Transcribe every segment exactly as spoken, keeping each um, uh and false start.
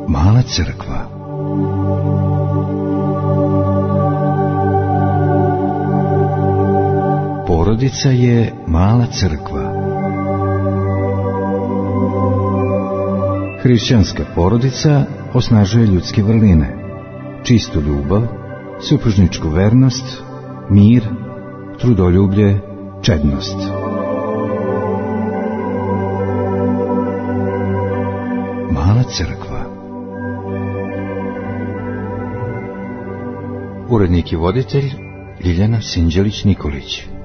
Mala crkva. Porodica je mala crkva. Hrišćanska porodica osnažuje ljudske vrline, čistu ljubav, supružničku vernost, mir, trudoljublje, čednost. Mala crkva. Urednik i voditelj Ljiljana Sinđelić-Nikolić.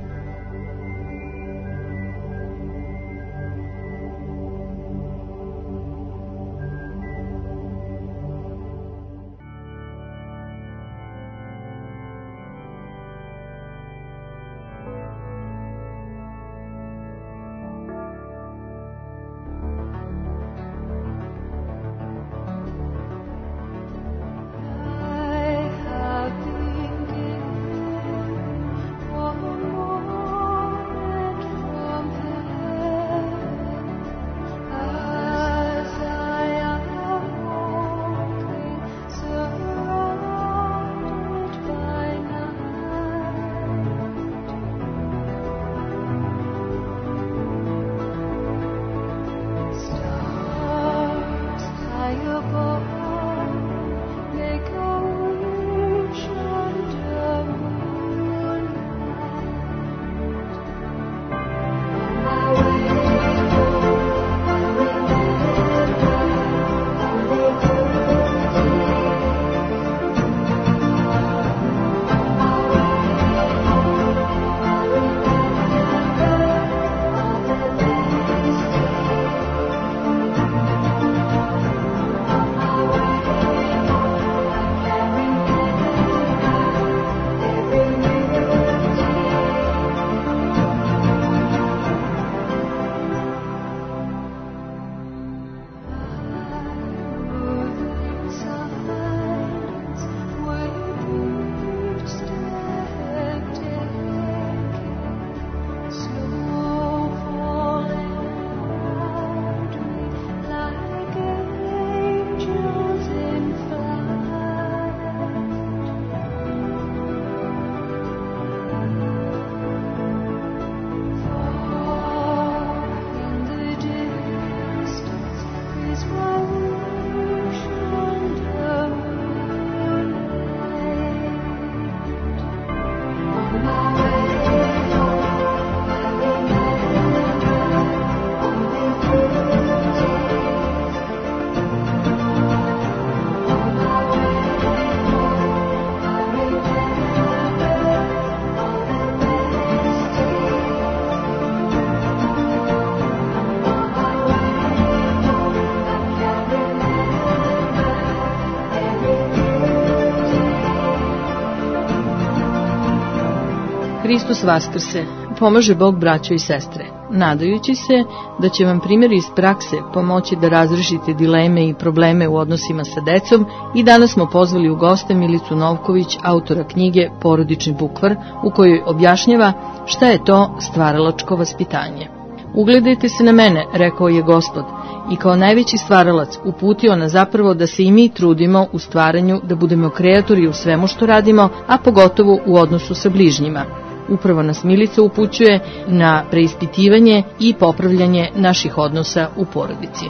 Hristos vaskrse, pomaže Bog braćo i sestre, nadajući se da će vam primjer iz prakse pomoći da razrešite dileme i probleme u odnosima sa decom. I danas smo pozvali u goste Milicu Novković, autora knjige Porodični bukvar, u kojoj objašnjava šta je to stvaralačko vaspitanje. Ugledajte se na mene, rekao je Gospod, i kao najveći stvaralac uputio nas zapravo da se i mi trudimo u stvaranju, da budemo kreatori u svemu što radimo, a pogotovo u odnosu sa bližnjima. Upravo nas Milica upućuje na preispitivanje i popravljanje naših odnosa u porodici.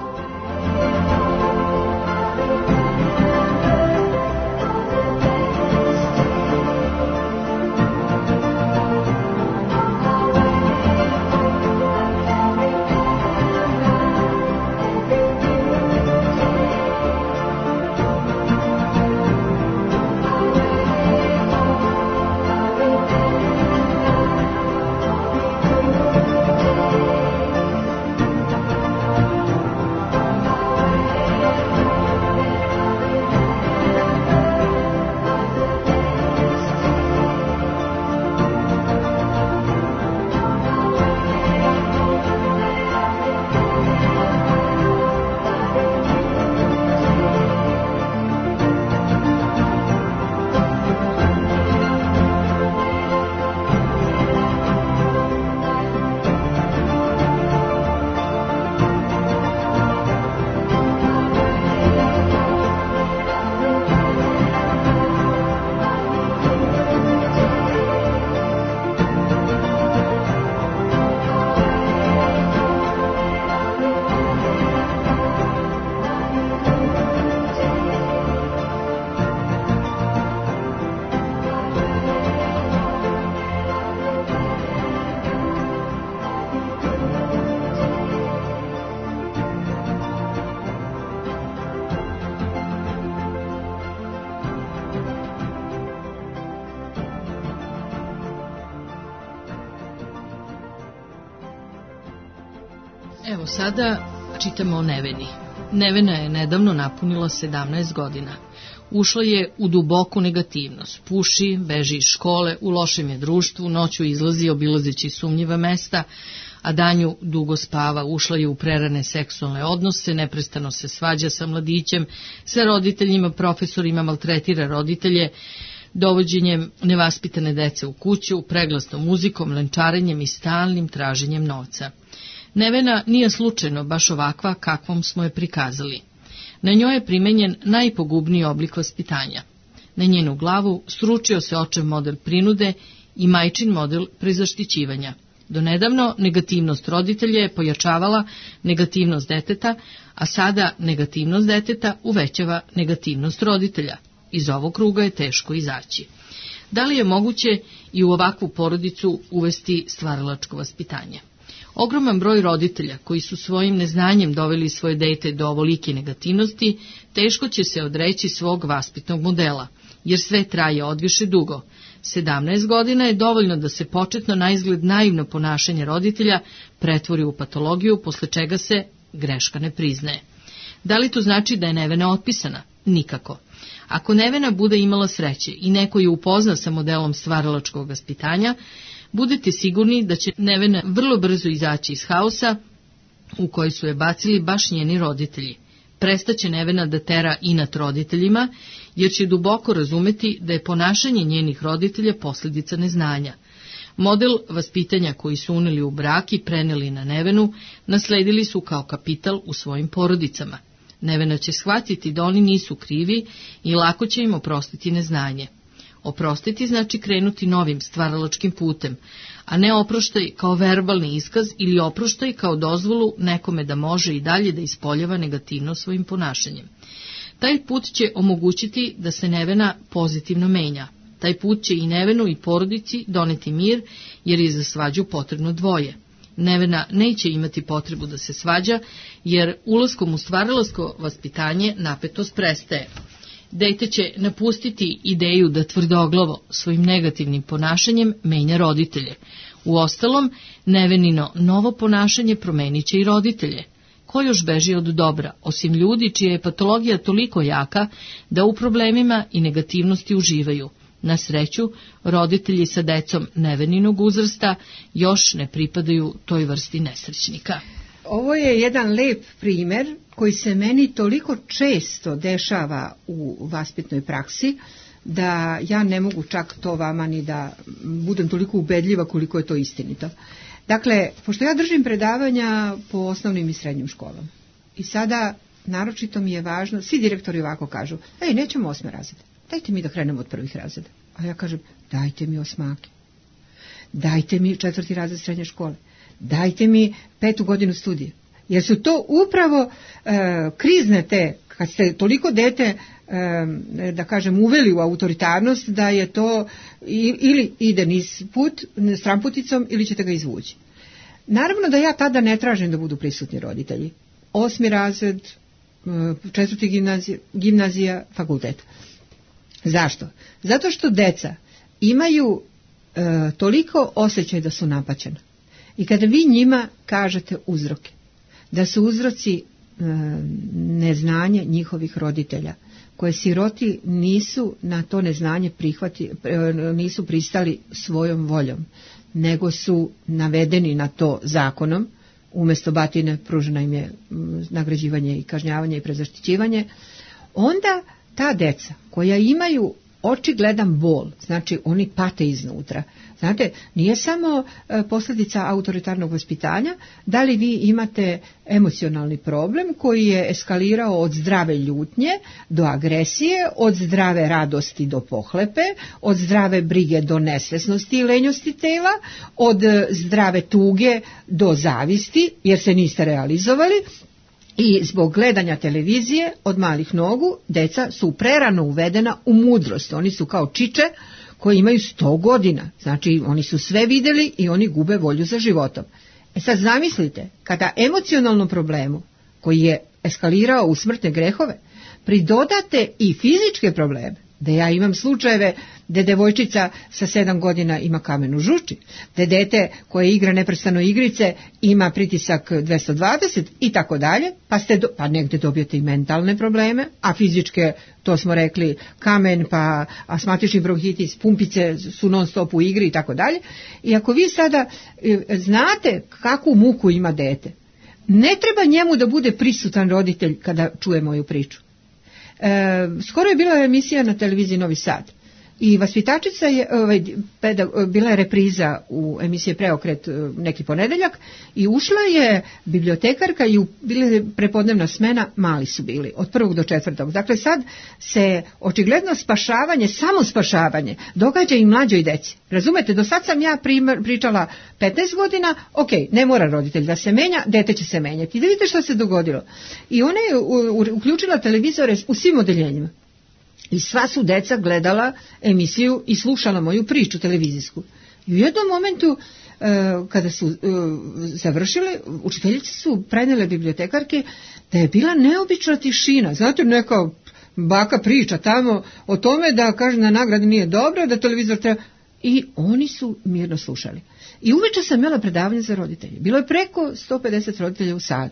Evo sada čitamo o Neveni. Nevena je nedavno napunila sedamnaest godina. Ušla je u duboku negativnost. Puši, beži iz škole, u lošem je društvu, noću izlazi obilazeći sumnjiva mesta, a danju dugo spava. Ušla je u prerane seksualne odnose, neprestano se svađa sa mladićem, sa roditeljima, profesorima, maltretira roditelje, dovođenjem nevaspitane dece u kuću, preglasnom muzikom, lenčarenjem i stalnim traženjem novca. Nevena nije slučajno baš ovakva kakvom smo je prikazali. Na njoj je primenjen najpogubniji oblik vaspitanja. Na njenu glavu sručio se očev model prinude i majčin model prezaštićivanja. Donedavno negativnost roditelja je pojačavala negativnost deteta, a sada negativnost deteta uvećava negativnost roditelja. Iz ovog kruga je teško izaći. Da li je moguće i u ovakvu porodicu uvesti stvaralačko vaspitanje? Ogroman broj roditelja koji su svojim neznanjem doveli svoje dete do ovolike negativnosti, teško će se odreći svog vaspitnog modela, jer sve traje odviše dugo. sedamnaest godina je dovoljno da se početno naizgled naivno ponašanje roditelja pretvori u patologiju, posle čega se greška ne priznaje. Da li to znači da je Nevena otpisana? Nikako. Ako Nevena bude imala sreće i neko je upozna sa modelom stvaralačkog vaspitanja, budete sigurni da će Nevena vrlo brzo izaći iz haosa u koji su je bacili baš njeni roditelji. Prestaće Nevena da tera inat roditeljima, jer će duboko razumeti da je ponašanje njenih roditelja posljedica neznanja. Model vaspitanja koji su uneli u brak i preneli na Nevenu, nasledili su kao kapital u svojim porodicama. Nevena će shvatiti da oni nisu krivi i lako će im oprostiti neznanje. Oprostiti znači krenuti novim stvaralačkim putem, a ne oproštaj kao verbalni iskaz ili oproštaj kao dozvolu nekome da može i dalje da ispoljava negativno svojim ponašanjem. Taj put će omogućiti da se Nevena pozitivno menja. Taj put će i Nevenu i porodici doneti mir, jer je za svađu potrebno dvoje. Nevena neće imati potrebu da se svađa, jer ulaskom u stvaralačko vaspitanje napetost prestaje. Dete će napustiti ideju da tvrdoglavo svojim negativnim ponašanjem menja roditelje. Uostalom, Nevenino novo ponašanje promenit će i roditelje. Ko još beži od dobra, osim ljudi čija je patologija toliko jaka da u problemima i negativnosti uživaju? Na sreću, roditelji sa decom Neveninog uzrasta još ne pripadaju toj vrsti nesrećnika. Ovo je jedan lep primer koji se meni toliko često dešava u vaspitnoj praksi, da ja ne mogu čak to vama ni da budem toliko ubedljiva koliko je to istinito. Dakle, pošto ja držim predavanja po osnovnim i srednjim školama, i sada naročito mi je važno, svi direktori ovako kažu, ej, nećemo osme razrede, dajte mi da krenemo od prvih razreda. A ja kažem, dajte mi osmake, dajte mi četvrti razred srednje škole, dajte mi petu godinu studija. Jer su to upravo e, krizne te, kad ste toliko dete, e, da kažem, uveli u autoritarnost, da je to i, ili ide niz put, stramputicom, ili ćete ga izvući. Naravno da ja tada ne tražim da budu prisutni roditelji. Osmi razred, četvrti gimnazija, gimnazija, fakultet. Zašto? Zato što deca imaju e, toliko osjećaj da su napaćena. I kada vi njima kažete uzroke, da su uzroci e, neznanje njihovih roditelja, koje siroti nisu na to neznanje prihvati, e, nisu pristali svojom voljom, nego su navedeni na to zakonom, umjesto batine pružena im je nagrađivanje i kažnjavanje i prezaštićivanje, onda ta deca koja imaju očigledan bol, znači oni pate iznutra. Znate, nije samo e, posljedica autoritarnog vaspitanja, da li vi imate emocionalni problem koji je eskalirao od zdrave ljutnje do agresije, od zdrave radosti do pohlepe, od zdrave brige do nesvesnosti i lenjosti tela, od zdrave tuge do zavisti, jer se niste realizovali. I zbog gledanja televizije od malih nogu, deca su prerano uvedena u mudrost. Oni su kao čiče koji imaju sto godina. Znači, oni su sve vidjeli i oni gube volju za životom. E sad zamislite, kada emocionalnom problemu, koji je eskalirao u smrtne grehove, pridodate i fizičke probleme, Da ja imam slučajeve da devojčica sa sedam godina ima kamen u žuči, da dete koje igra neprestano igrice ima pritisak dvesta dvadeset i tako dalje, pa, ste do, pa negde dobijete i mentalne probleme, a fizičke, to smo rekli, kamen, pa astmatični bronhitis, pumpice su non stop u igri i tako dalje. I ako vi sada e, znate kakvu muku ima dete, ne treba njemu da bude prisutan roditelj kada čuje moju priču. E, skoro je bila emisija na televiziji Novi Sad i vaspitačica je, ovaj, pedag, bila je repriza u emisiji Preokret neki ponedeljak i ušla je bibliotekarka i bila je prepodnevna smena, mali su bili, od prvog do četvrtog. Dakle, sad se očigledno spašavanje, samo spašavanje, događa i mlađoj deci. Razumete, do sad sam ja primar, pričala petnaest godina, ok, ne mora roditelj da se menja, dete će se menjati. I da vidite što se dogodilo. I ona je u, u, uključila televizore u svim odeljenjima. I sva su deca gledala emisiju i slušala moju priču televizijsku. I u jednom momentu, e, kada su e, završile, učiteljice su prenijele bibliotekarke da je bila neobična tišina. Znate, neka baka priča tamo o tome da kaže da nagrada nije dobra, da televizor treba... I oni su mirno slušali. I uveče sam imala predavanje za roditelje. Bilo je preko sto pedeset roditelja u sali.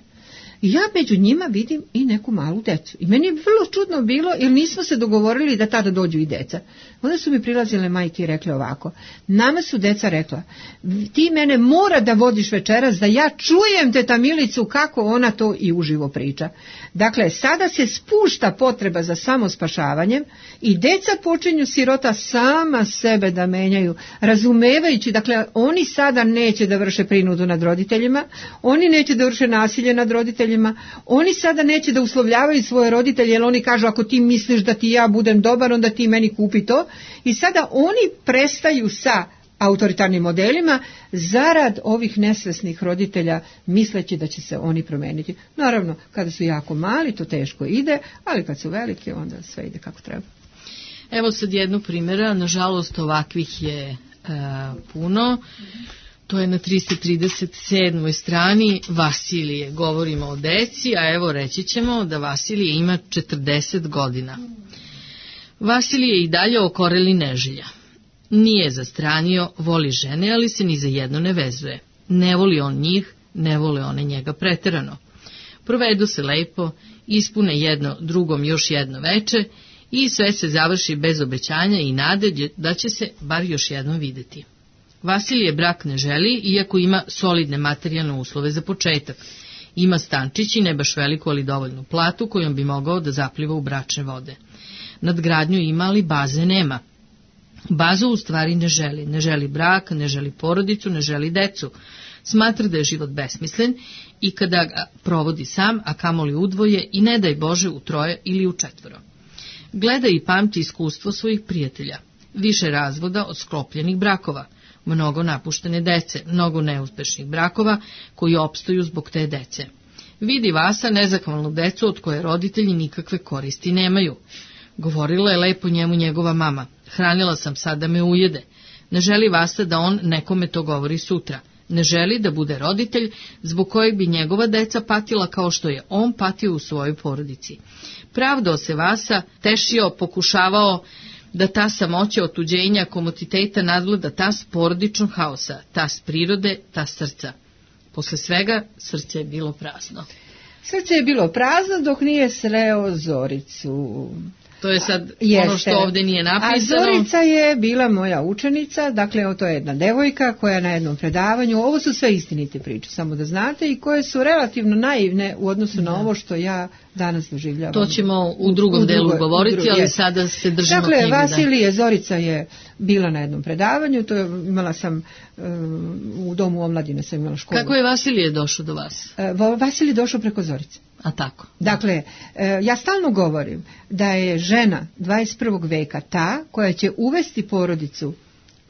I ja među njima vidim i neku malu decu. I meni je vrlo čudno bilo, jer nismo se dogovorili da tada dođu i deca. Onda su mi prilazile majke i rekle ovako, nama su deca rekla, ti mene mora da vodiš večeras, da ja čujem teta Milicu kako ona to i uživo priča. Dakle, sada se spušta potreba za samospašavanjem i deca počinju sirota sama sebe da menjaju, razumevajući, dakle, oni sada neće da vrše prinudu nad roditeljima, oni neće da vrše nasilje nad roditeljima, oni sada neće da uslovljavaju svoje roditelje, jer oni kažu ako ti misliš da ti ja budem dobar, onda ti meni kupi to. I sada oni prestaju sa autoritarnim modelima zarad ovih nesvesnih roditelja, misleći da će se oni promeniti. Naravno, kada su jako mali, to teško ide, ali kad su veliki, onda sve ide kako treba. Evo sad jednu primjera, nažalost ovakvih je e, puno. To je na trista trideset sedmoj strani Vasilije. Govorimo o deci, a evo reći ćemo da Vasilije ima četrdeset godina. Vasilije i dalje okoreli neželja. Nije zastranio, voli žene, ali se ni za jedno ne vezuje. Ne voli on njih, ne vole one njega preterano. Provedu se lepo, ispune jedno drugom još jedno veče i sve se završi bez obećanja i nade da će se bar još jednom videti. Vasilije brak ne želi, iako ima solidne materijalne uslove za početak. Ima stančić i ne baš veliku, ali dovoljnu platu kojom bi mogao da zapliva u bračne vode. Nadgradnju ima, ali baze nema. Bazu u stvari ne želi. Ne želi brak, ne želi porodicu, ne želi decu. Smatra da je život besmislen i kada ga provodi sam, a kamoli udvoje i ne daj Bože u troje ili u četvoro. Gleda i pamti iskustvo svojih prijatelja. Više razvoda od sklopljenih brakova. Mnogo napuštene dece, mnogo neuspešnih brakova koji opstaju zbog te dece. Vidi Vasa nezahvalnu decu od koje roditelji nikakve koristi nemaju. Govorila je lepo njemu njegova mama. Hranila sam sad da me ujede. Ne želi Vasa da on nekome to govori sutra. Ne želi da bude roditelj zbog kojeg bi njegova deca patila kao što je on patio u svojoj porodici. Pravdao se Vasa, tešio, pokušavao da ta samoća otuđenja, komotiteta nadvlada tas porodičnog haosa, tas prirode, tas srca. Posle svega srce je bilo prazno. Srce je bilo prazno dok nije sreo Zoricu. To je sad Jeste. Ono što ovdje nije napisano. A Zorica je bila moja učenica, dakle to je jedna devojka koja na jednom predavanju, ovo su sve istinite priče, samo da znate, i koje su relativno naivne u odnosu na da. Ovo što ja danas doživljavam. To ćemo u drugom u, u delu drugoj, govoriti, drugoj, ali je. Sada se držimo dakle, knjige. Dakle, Vasilije, Zorica je bila na jednom predavanju, to je, imala sam uh, u domu omladine, sam imala školu. Kako je Vasilije došao do vas? Uh, Vasilije došao preko Zorice. A tako. Dakle, ja stalno govorim da je žena dvadeset prvog veka ta koja će uvesti porodicu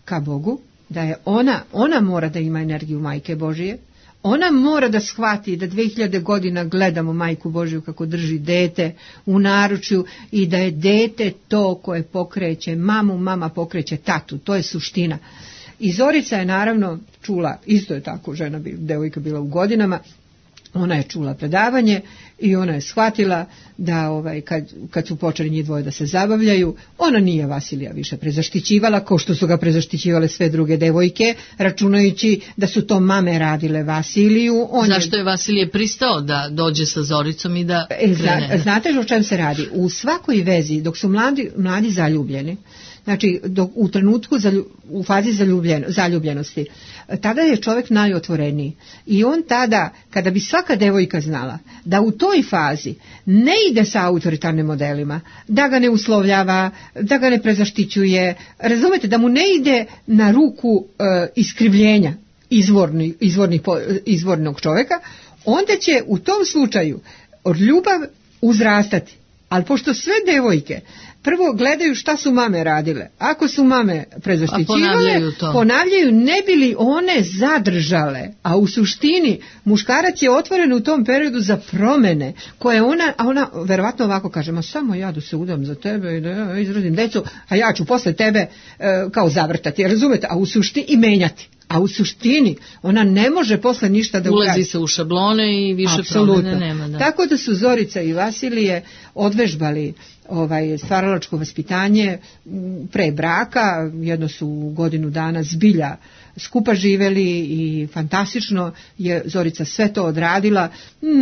ka Bogu, da je ona, ona mora da ima energiju Majke Božije, ona mora da shvati da dve hiljade godina gledamo Majku Božiju kako drži dete u naručju i da je dete to koje pokreće mamu, mama pokreće tatu, to je suština. I Zorica je naravno čula, isto je tako, žena bi, devojka bila u godinama, Ona je čula predavanje i ona je shvatila da ovaj, kad, kad su počeli njih dvoje da se zabavljaju, ona nije Vasilija više prezaštićivala, kao što su ga prezaštićivale sve druge devojke, računajući da su to mame radile Vasiliju. On Zašto je Vasilije pristao da dođe sa Zoricom i da krene? Zna, znate o čem se radi? U svakoj vezi, dok su mladi, mladi zaljubljeni, znači dok, u trenutku zalju, u fazi zaljubljen, zaljubljenosti, tada je čovjek najotvoreniji i on tada, kada bi svaka devojka znala da u toj fazi ne ide sa autoritarnim modelima, da ga ne uslovljava, da ga ne prezaštićuje, razumete, da mu ne ide na ruku e, iskrivljenja izvorni, izvorni, izvornog čovjeka, onda će u tom slučaju od ljubav uzrastati. Ali pošto sve devojke prvo gledaju šta su mame radile, ako su mame prezaštićivale, ponavljaju, ponavljaju ne bi li one zadržale, a u suštini muškarac je otvoren u tom periodu za promene, koje ona, a ona verovatno ovako kaže, ma samo ja da se udam za tebe i da ja izrodim decu, a ja ću posle tebe e, kao zavrtati, razumete, a u suštini i menjati. A u suštini ona ne može posle ništa da ulazi se u šablone i više apsolutno promene nema. Da. Tako da su Zorica i Vasilije odvežbali ovaj stvaralačko vaspitanje pre braka, jedno su godinu dana zbilja skupa živeli i fantastično je Zorica sve to odradila.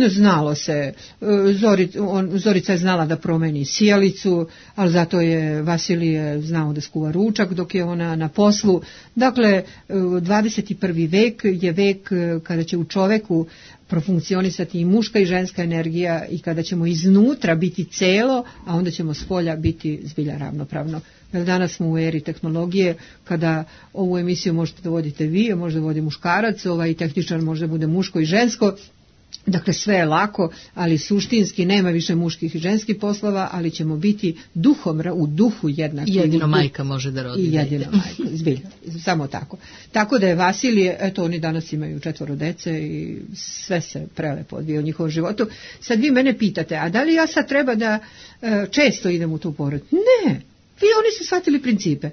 Znalo se, Zorica, on, Zorica je znala da promeni sijalicu, ali zato je Vasilije znao da skuva ručak dok je ona na poslu. Dakle, dvadeset prvi vek je vek kada će u čoveku profunkcionisati i muška i ženska energija i kada ćemo iznutra biti celo, a onda ćemo s polja biti zbilja ravnopravno. Jer danas smo u eri tehnologije kada ovu emisiju možete da vodite vi, a možda vodi muškarac, ovaj tehničar možda bude muško i žensko. Dakle, sve je lako, ali suštinski nema više muških i ženskih poslova, ali ćemo biti duhom, u duhu jednaki. Jedino majka može da rodi. I jedino majka, zbiljno, samo tako. Tako da je Vasilije, eto oni danas imaju četvoro dece i sve se prelepo odvija u njihovom životu. Sad vi mene pitate, a da li ja sad treba da e, često idem u tu porodicu? Ne, vi oni su shvatili principe.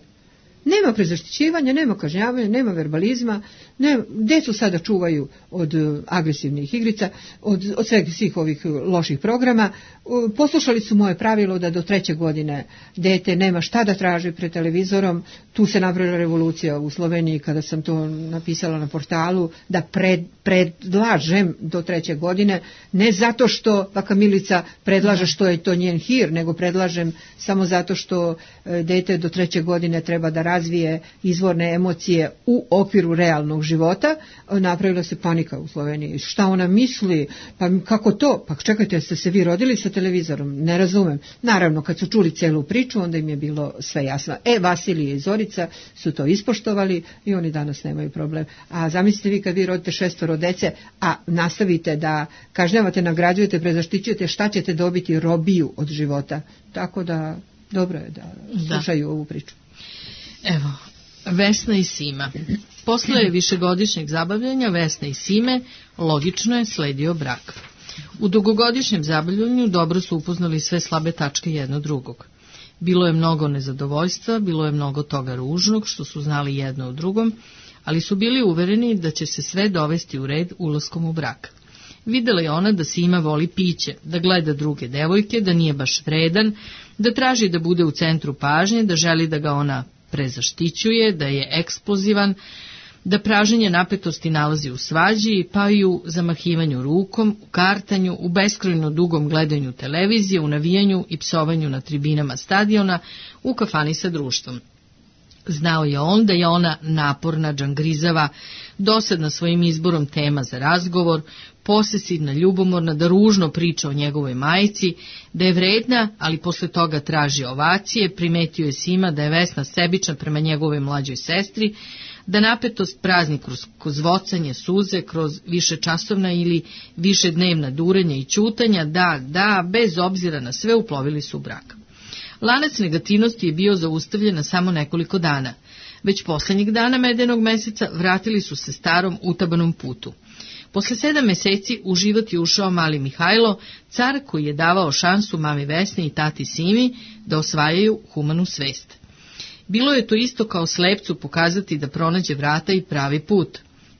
Nema prezaštićivanja, nema kažnjavanja, nema verbalizma, ne, decu sada čuvaju od agresivnih igrica, od, od sveg svih ovih loših programa. Poslušali su moje pravilo da do treće godine dete nema šta da traži pred televizorom. Tu se napravila revolucija u Sloveniji kada sam to napisala na portalu, da pred, predlažem do treće godine, ne zato što baka Milica predlaže što je to njen hir, nego predlažem samo zato što dete do treće godine treba da razvije izvorne emocije u okviru realnog života. Napravila se panika u Sloveniji. Šta ona misli? Pa kako to? Pa čekajte, ste se vi rodili sa televizorom? Ne razumem. Naravno, kad su čuli celu priču, onda im je bilo sve jasno. E, Vasilije i Zorica su to ispoštovali i oni danas nemaju problem. A zamislite vi kad vi rodite šestoro dece, a nastavite da kažnjavate, nagrađujete, prezaštićujete, šta ćete dobiti? Robiju od života. Tako da dobro je da slušaju ovu priču. Evo, Vesna i Sima. Posle višegodišnjeg zabavljanja Vesne i Sime logično je sledio brak. U dugogodišnjem zabavljanju dobro su upoznali sve slabe tačke jedno drugog. Bilo je mnogo nezadovoljstva, bilo je mnogo toga ružnog što su znali jedno u drugom, ali su bili uvereni da će se sve dovesti u red ulaskom u brak. Videla je ona da Sima voli piće, da gleda druge devojke, da nije baš vredan, da traži da bude u centru pažnje, da želi da ga ona prezaštićuje, da je eksplozivan, da praženje napetosti nalazi u svađi, pa i u zamahivanju rukom, u kartanju, u beskrajno dugom gledanju televizije, u navijanju i psovanju na tribinama stadiona, u kafani sa društvom. Znao je on da je ona naporna, džangrizava, dosadna svojim izborom tema za razgovor, posesivna, ljubomorna, da ružno priča o njegovoj majici, da je vredna, ali posle toga traži ovacije, primetio je Sima da je Vesna sebična prema njegovoj mlađoj sestri, da napetost prazni kroz kozvocanje, suze, kroz višečasovna ili višednevna durenja i ćutanja, da, da, bez obzira na sve uplovili su u brak. Lanac negativnosti je bio zaustavljen na samo nekoliko dana. Već poslednjeg dana medenog meseca vratili su se starom utabanom putu. Posle sedam meseci u život je ušao mali Mihajlo, car koji je davao šansu mami Vesni i tati Simi da osvajaju humanu svest. Bilo je to isto kao slepcu pokazati da pronađe vrata i pravi put.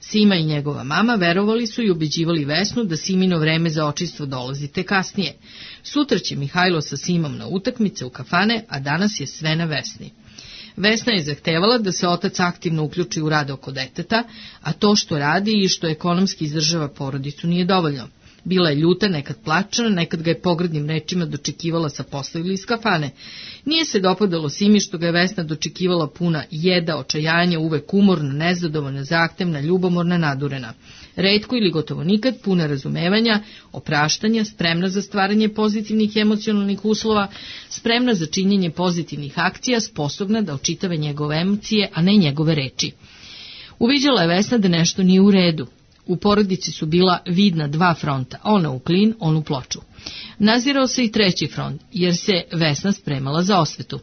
Sima i njegova mama verovali su i ubeđivali Vesnu da Simino vreme za očistvo dolazi te kasnije. Sutra će Mihajlo sa Simom na utakmice u kafane, a danas je sve na Vesni. Vesna je zahtevala da se otac aktivno uključi u rad oko deteta, a to što radi i što ekonomski izdržava porodicu nije dovoljno. Bila je ljuta, nekad plačana, nekad ga je pogrdnim rečima dočekivala sa posla ili iz kafane. Nije se dopadalo Simi što ga je Vesna dočekivala puna jeda, očajanja, uvek umorna, nezadovoljna, zahtevna, ljubomorna, nadurena. Retko ili gotovo nikad puna razumevanja, opraštanja, spremna za stvaranje pozitivnih emocionalnih uslova, spremna za činjenje pozitivnih akcija, sposobna da očitave njegove emocije, a ne njegove reči. Uviđala je Vesna da nešto nije u redu. U porodici su bila vidna dva fronta, ona u klin, on u ploču. Nazirao se i treći front, jer se Vesna spremala za osvetu.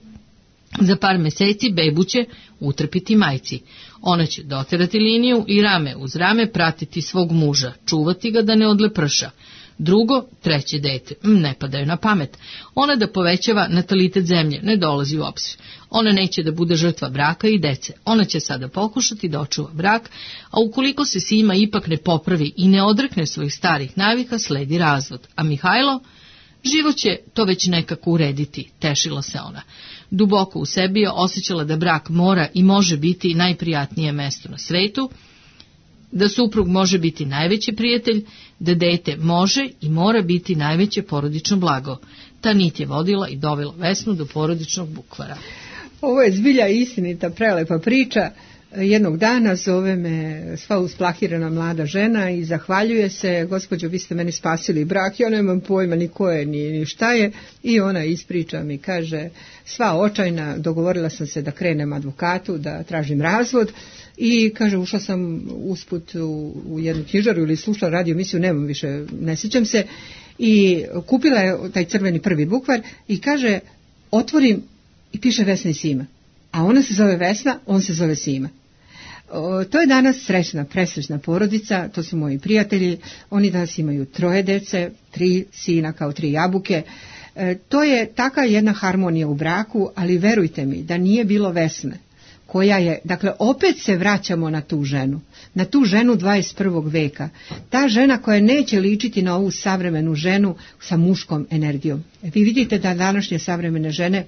Za par meseci bebu će utrpiti majci. Ona će doterati liniju i rame uz rame pratiti svog muža, čuvati ga da ne odleprša. Drugo, treće dete, ne padaju na pamet. Ona da povećava natalitet zemlje, ne dolazi u obzir. Ona neće da bude žrtva braka i dece. Ona će sada pokušati da očuva brak, a ukoliko se Sima ipak ne popravi i ne odrekne svojih starih navika, sledi razvod. A Mihajlo? Život će to već nekako urediti, tešila se ona. Duboko u sebi je osjećala da brak mora i može biti najprijatnije mesto na svetu, da suprug može biti najveći prijatelj, da dete može i mora biti najveće porodično blago. Ta nit je vodila i dovela Vesnu do porodičnog bukvara. Ovo je zbilja istinita, prelepa priča. Jednog dana zove me sva usplahirana mlada žena i zahvaljuje se: gospođo, vi ste meni spasili brak, ja nemam pojma ni ko je, ni, ni šta je. I ona ispriča mi, kaže, sva očajna, dogovorila sam se da krenem advokatu, da tražim razvod. I kaže, ušla sam usput u, u jednu knjižaru ili slušala radio emisiju, nemam više, ne sjećam se, i kupila je taj crveni prvi bukvar i kaže, otvorim i piše Vesna i Sima. A ona se zove Vesna, on se zove Sima. O, to je danas srećna, presrećna porodica, to su moji prijatelji, oni danas imaju troje dece, tri sina kao tri jabuke. E, to je taka jedna harmonija u braku, ali verujte mi da nije bilo Vesne, koja je, dakle, opet se vraćamo na tu ženu, na tu ženu dvadeset prvog veka. Ta žena koja neće ličiti na ovu savremenu ženu sa muškom energijom. Vi vidite da današnje savremene žene,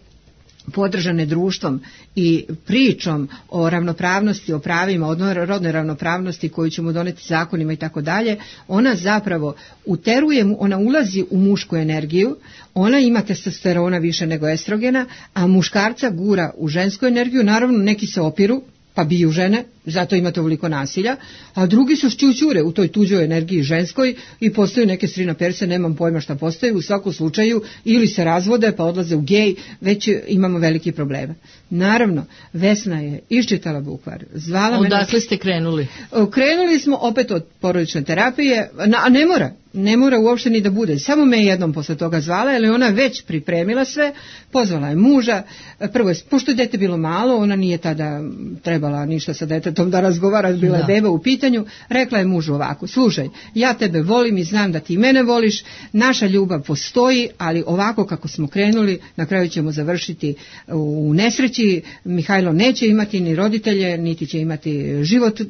podržane društvom i pričom o ravnopravnosti, o pravima, o rodnoj ravnopravnosti koju ćemo doneti zakonima i tako dalje, ona zapravo uteruje, ona ulazi u mušku energiju, ona ima testosterona više nego estrogena, a muškarca gura u žensku energiju. Naravno, neki se opiru pa biju žene, zato imate ovoliko nasilja, a drugi su šćućure u toj tuđoj energiji ženskoj i postaju neke strina perse, nemam pojma šta postaju, u svakom slučaju ili se razvode pa odlaze u gej, već imamo veliki problema. Naravno, Vesna je iščitala bukvar, zvala mene. Odakle ste krenuli? Krenuli smo opet od porodične terapije, a ne mora, ne mora uopšte ni da bude, samo me jednom posle toga zvala, jer je ona već pripremila sve, pozvala je muža, prvo je, pošto je dete bilo malo, ona nije tada trebala ništa sa detetom da razgovara, bila je beba u pitanju, rekla je mužu ovako: slušaj, ja tebe volim i znam da ti mene voliš, naša ljubav postoji, ali ovako kako smo krenuli, na kraju ćemo završiti u nesreći, Mihajlo neće imati ni roditelje, niti će imati život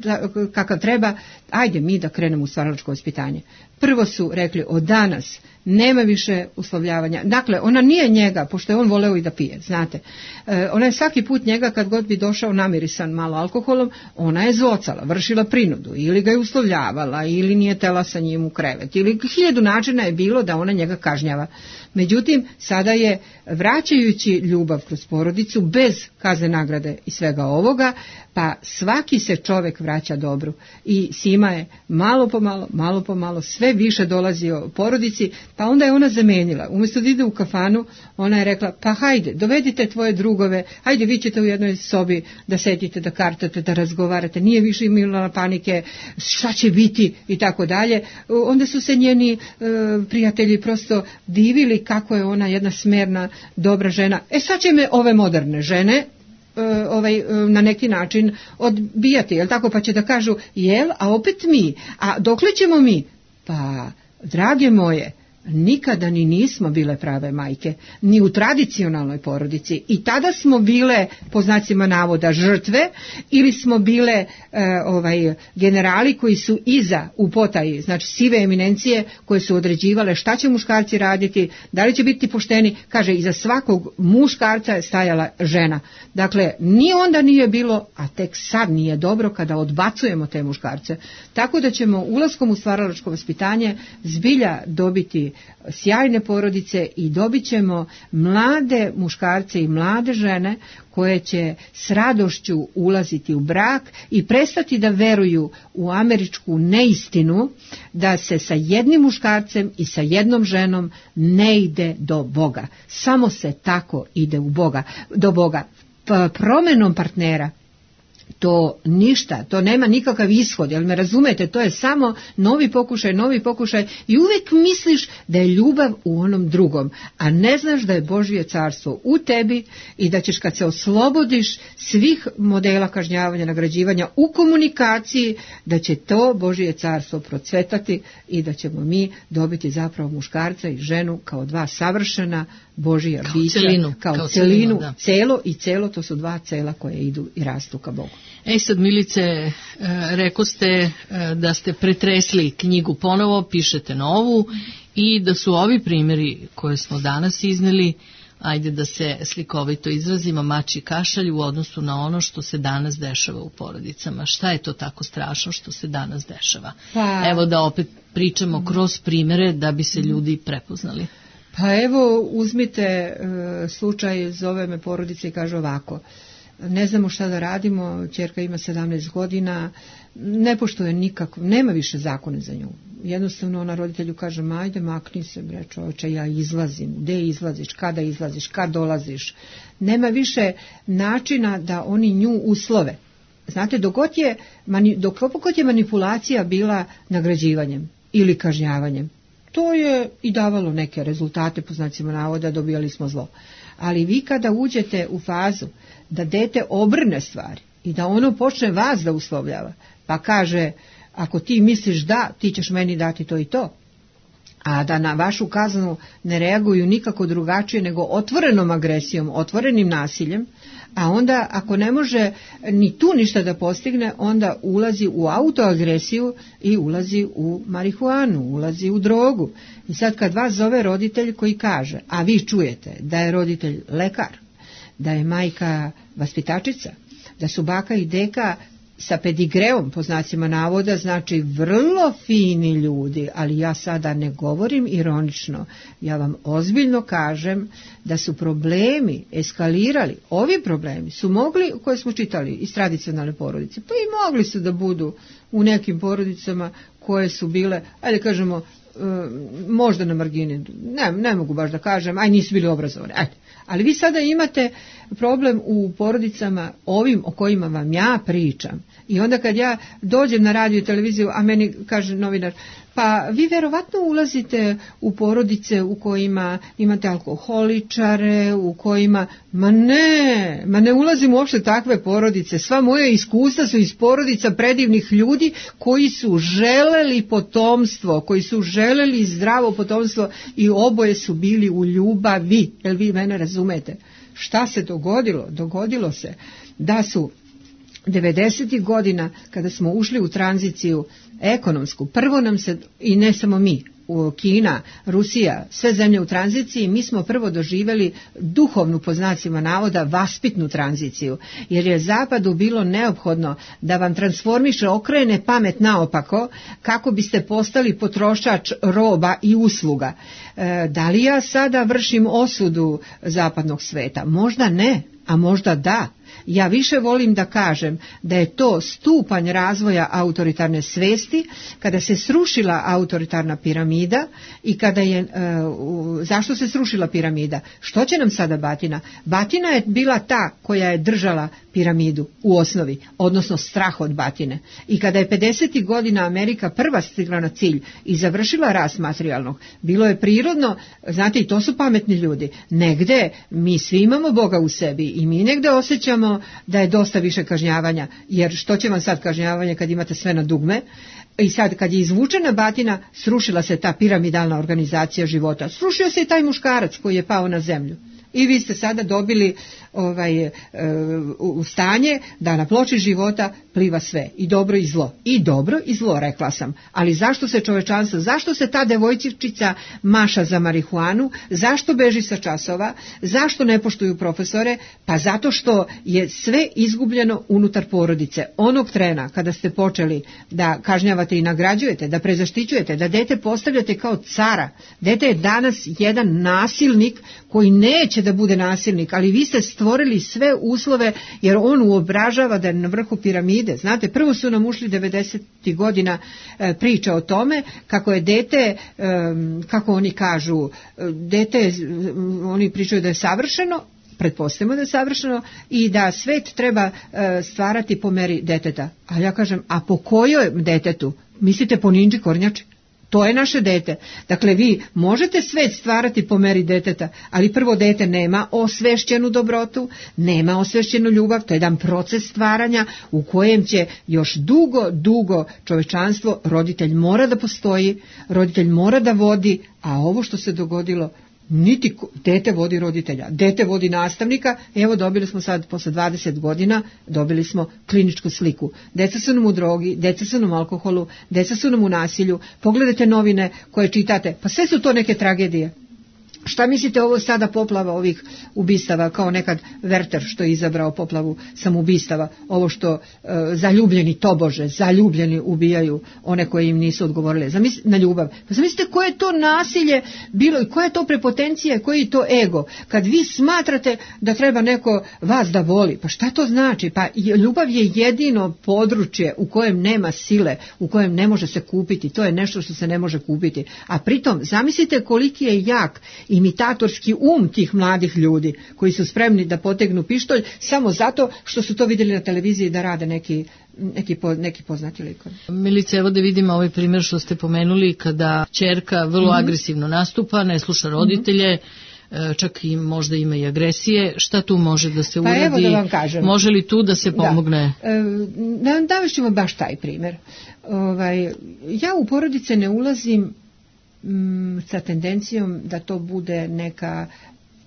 kakav treba, ajde mi da krenemo u stvaralačko vaspitanje. Prvo su rekli, od danas nema više uslovljavanja. Dakle, ona nije njega, pošto je on voleo i da pije, znate. E, ona je svaki put njega, kad god bi došao namirisan malo alkoholom, ona je zvocala, vršila prinudu, ili ga je uslovljavala, ili nije tela sa njim u krevet, ili hiljadu načina je bilo da ona njega kažnjava. Međutim, sada je, vraćajući ljubav kroz porodicu, bez kazne, nagrade i svega ovoga, pa svaki se čovjek vraća dobru. I Sima je malo po malo, malo po malo, sve više dolazio porodici, pa onda je ona zamenila. Umjesto da ide u kafanu, ona je rekla, pa hajde, dovedite tvoje drugove, hajde, vi ćete u jednoj sobi da sedite, da kartate, da razgovarate, nije više imala panike, šta će biti i tako dalje. Onda su se njeni e, prijatelji prosto divili kako je ona jedna smerna, dobra žena. E sad će me ove moderne žene ovaj, na neki način odbijati, jel tako, pa će da kažu, jel, a opet mi, a dokle ćemo mi? Pa, drage moje, nikada ni nismo bile prave majke, ni u tradicionalnoj porodici. I tada smo bile, po znacima navoda, žrtve, ili smo bile e, ovaj generali koji su iza u potaji, znači sive eminencije koje su određivale šta će muškarci raditi, da li će biti pošteni. Kaže, iza svakog muškarca je stajala žena. Dakle, ni onda nije bilo, a tek sad nije dobro kada odbacujemo te muškarce. Tako da ćemo ulaskom u stvaralačko vaspitanje zbilja dobiti sjajne porodice i dobit ćemo mlade muškarce i mlade žene koje će s radošću ulaziti u brak i prestati da veruju u američku neistinu da se sa jednim muškarcem i sa jednom ženom ne ide do Boga. Samo se tako ide u Boga, do Boga. P- promenom partnera to ništa, to nema nikakav ishod, jel me razumete, to je samo novi pokušaj, novi pokušaj i uvijek misliš da je ljubav u onom drugom, a ne znaš da je Božje carstvo u tebi i da ćeš kad se oslobodiš svih modela kažnjavanja, nagrađivanja u komunikaciji, da će to Božje carstvo procvetati i da ćemo mi dobiti zapravo muškarca i ženu kao dva savršena Božja kao bića, celinu, kao, kao celinu, celinu da. celo i celo, to su dva cela koje idu i rastu ka Bogu. E sad, Milice, e, reko ste e, da ste pretresli knjigu ponovo, pišete novu i da su ovi primjeri koje smo danas izneli, ajde da se slikovito izrazimo, mači kašalj u odnosu na ono što se danas dešava u porodicama. Šta je to tako strašno što se danas dešava? Pa, Evo da opet pričamo kroz primjere da bi se ljudi prepoznali. Pa evo, uzmite e, slučaj, zove me porodica i kaže ovako: ne znamo šta da radimo, ćerka ima sedamnaest godina, ne poštuje nikako, nema više zakone za nju. Jednostavno ona roditelju kaže, ajde makni se bre čoveče, ja izlazim, gde izlaziš, kada izlaziš, kad dolaziš. Nema više načina da oni nju uslove. Znate, dok god je, dok god je manipulacija bila nagrađivanjem ili kažnjavanjem, to je i davalo neke rezultate, po znacima navoda, dobijali smo zlo. Ali vi kada uđete u fazu da dete obrne stvari i da ono počne vas da uslovljava, pa kaže, ako ti misliš da, ti ćeš meni dati to i to, a da na vašu kaznu ne reaguju nikako drugačije nego otvorenom agresijom, otvorenim nasiljem, a onda ako ne može ni tu ništa da postigne, onda ulazi u autoagresiju i ulazi u marihuanu, ulazi u drogu. I sad kad vas zove roditelj koji kaže, a vi čujete da je roditelj lekar, da je majka vaspitačica, da su baka i deka sa pedigreom, po znacima navoda, znači vrlo fini ljudi, ali ja sada ne govorim ironično, ja vam ozbiljno kažem da su problemi eskalirali, ovi problemi su mogli, koje smo čitali iz tradicionalne porodice, pa i mogli su da budu u nekim porodicama koje su bile, ajde kažemo, možda na margini, ne, ne mogu baš da kažem, aj nisu bili obrazovani, ajde. Ali vi sada imate problem u porodicama ovim o kojima vam ja pričam. I onda kad ja dođem na radio i televiziju, a meni kaže novinar, pa vi verovatno ulazite u porodice u kojima imate alkoholičare, u kojima, ma ne, ma ne ulazim uopšte takve porodice. Sva moja iskustva su iz porodica predivnih ljudi koji su želeli potomstvo, koji su želeli zdravo potomstvo i oboje su bili u ljubavi. Jel vi mene razumete? Šta se dogodilo? Dogodilo se da su devedesetih godina, kada smo ušli u tranziciju ekonomsku, prvo nam se, i ne samo mi, u Kina, Rusija, sve zemlje u tranziciji, mi smo prvo doživjeli duhovnu, po znacima navoda, vaspitnu tranziciju, jer je Zapadu bilo neophodno da vam transformiše, okrene pamet naopako, kako biste postali potrošač roba i usluga. E, da li ja sada vršim osudu zapadnog sveta? Možda ne, a možda da. Ja više volim da kažem da je to stupanj razvoja autoritarne svesti, kada se srušila autoritarna piramida i kada je, e, zašto se srušila piramida? Što će nam sada batina? Batina je bila ta koja je držala piramidu u osnovi, odnosno strah od batine. I kada je pedesetih godina Amerika prva stigla na cilj i završila rast materijalnog, bilo je prirodno, znate, i to su pametni ljudi, negde mi svi imamo Boga u sebi i mi negde osjećamo da je dosta više kažnjavanja, jer što će vam sad kažnjavanje kad imate sve na dugme, I sad kad je izvučena batina, srušila se ta piramidalna organizacija života. Srušio se i taj muškarac koji je pao na zemlju. I vi ste sada dobili ovaj, e, u stanje da na ploči života pliva sve, i dobro i zlo. I dobro i zlo, rekla sam. Ali zašto se čovečanstvo, zašto se ta devojčica maša za marihuanu, zašto beži sa časova, zašto ne poštuju profesore? Pa zato što je sve izgubljeno unutar porodice. Onog trena kada ste počeli da kažnjavate i nagrađujete, da prezaštićujete, da dete postavljate kao cara. Dete je danas jedan nasilnik koji neće da bude nasilnik, ali vi ste stvorili sve uslove, jer on uobražava da je na vrhu piramide. Znate, prvo su nam ušli devedesetih godina e, priča o tome kako je dete, e, kako oni kažu, dete, oni pričaju da je savršeno, pretpostavimo da je savršeno i da svet treba e, stvarati po meri deteta. A ja kažem, a po kojoj detetu? Mislite po Ninđi Kornjači? To je naše dete. Dakle, vi možete svet stvarati po meri deteta, ali prvo dete nema osvešćenu dobrotu, nema osvešćenu ljubav, to je jedan proces stvaranja u kojem će još dugo, dugo čovečanstvo, roditelj mora da postoji, roditelj mora da vodi, a ovo što se dogodilo, niti dete vodi roditelja, dete vodi nastavnika. Evo, dobili smo sad posle dvadeset godina, dobili smo kliničku sliku. Deca su nam u drogi, deca su nam u alkoholu, deca su nam u nasilju. Pogledajte novine koje čitate, pa sve su to neke tragedije. Šta mislite ovo sada poplava ovih ubistava, kao nekad Werther što je izabrao poplavu samoubistava, ovo što e, zaljubljeni tobože, zaljubljeni ubijaju one koje im nisu odgovorile Zamisli, na ljubav. Pa zamislite koje je to nasilje bilo i koja je to prepotencija, koji je to ego. Kad vi smatrate da treba neko vas da voli, pa šta to znači? Pa ljubav je jedino područje u kojem nema sile, u kojem ne može se kupiti, to je nešto što se ne može kupiti. A pritom, zamislite koliki je jak imitatorski um tih mladih ljudi koji su spremni da potegnu pištolj samo zato što su to vidjeli na televiziji da rade neki, neki, po, neki poznati likovi. Milice, evo da vidimo ovaj primjer što ste pomenuli kada ćerka vrlo mm-hmm. agresivno nastupa, ne sluša roditelje, mm-hmm. čak i možda ima i agresije. Šta tu može da se pa uradi? Evo da vam kažem. Može li tu da se pomogne? Da, e, davešćemo baš taj primjer. Ovaj, ja u porodice ne ulazim sa tendencijom da to bude neka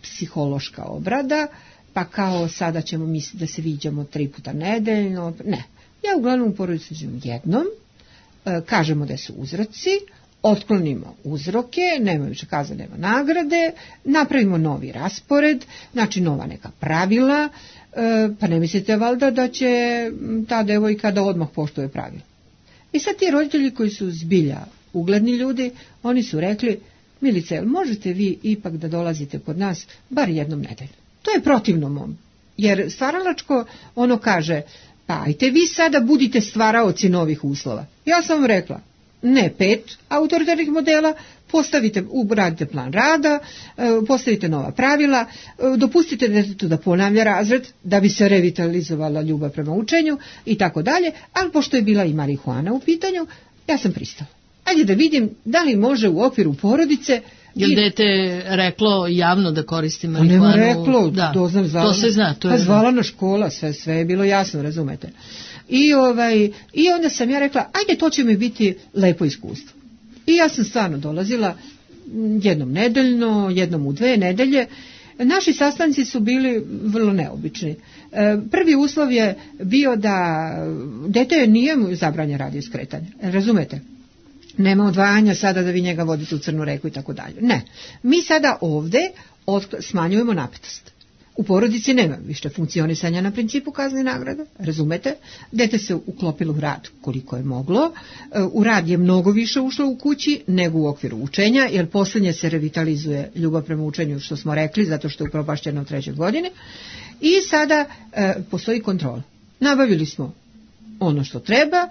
psihološka obrada, pa kao sada ćemo misliti da se viđamo tri puta nedeljno. Ne. Ja uglavnom u porodicu jednom, kažemo da su uzroci, otklonimo uzroke, nema više kaza, nema nagrade, napravimo novi raspored, znači nova neka pravila, pa ne mislite valjda da će ta devojka da odmah poštuje pravila. I sad ti roditelji koji su zbilja ugledni ljudi, oni su rekli, Milice, možete vi ipak da dolazite kod nas bar jednom nedeljno. To je protivno mom, jer stvaralačko ono kaže, pa ajte vi sada budite stvaraoci novih uslova. Ja sam vam rekla, ne pet autoritarnih modela, postavite, uradite plan rada, postavite nova pravila, dopustite detetu da ponavlja razred da bi se revitalizovala ljubav prema učenju i tako dalje, ali pošto je bila i marihuana u pitanju, ja sam pristala. Ajde da vidim da li može u okviru porodice. Je li dete reklo javno da koristi marihuanu? Nema reklo, da, doznam zvala. To se zna. To pa je zvala na škola, sve, sve je bilo jasno, razumete. I, ovaj, I onda sam ja rekla, ajde to će mi biti lepo iskustvo. I ja sam stvarno dolazila jednom nedeljno, jednom u dve nedelje. Naši sastanci su bili vrlo neobični. Prvi uslov je bio da dete nije mu zabranjeno radio skretanje, razumete? Nema odvajanja sada da vi njega vodite u Crnu reku i tako dalje. Ne. Mi sada ovde smanjujemo napetost. U porodici nema više funkcionisanja na principu kazne i nagrade, razumete? Dete se uklopilo u rad koliko je moglo. U rad je mnogo više ušlo u kući nego u okviru učenja, jer posljednje se revitalizuje ljubav prema učenju, što smo rekli, zato što je upropašćeno u trećoj godini. I sada e, postoji kontrola. Nabavili smo ono što treba. E,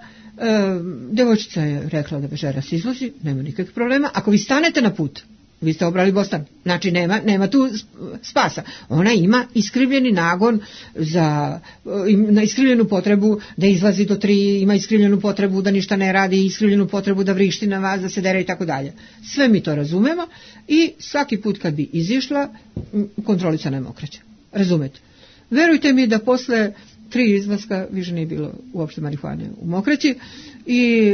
devojčica je rekla da večeras izlazi, nema nikakvih problema. Ako vi stanete na put, vi ste obrali bostan, znači nema, nema tu spasa. Ona ima iskrivljeni nagon za na iskrivljenu potrebu da izlazi do tri, ima iskrivljenu potrebu da ništa ne radi, iskrivljenu potrebu da vrišti na vas, da se dere i tako dalje. Sve mi to razumemo i svaki put kad bi izišla, kontrolica nam okreće. Razumete? Verujte mi da posle tri izlaska, više nije bilo uopšte marihuane u mokraći i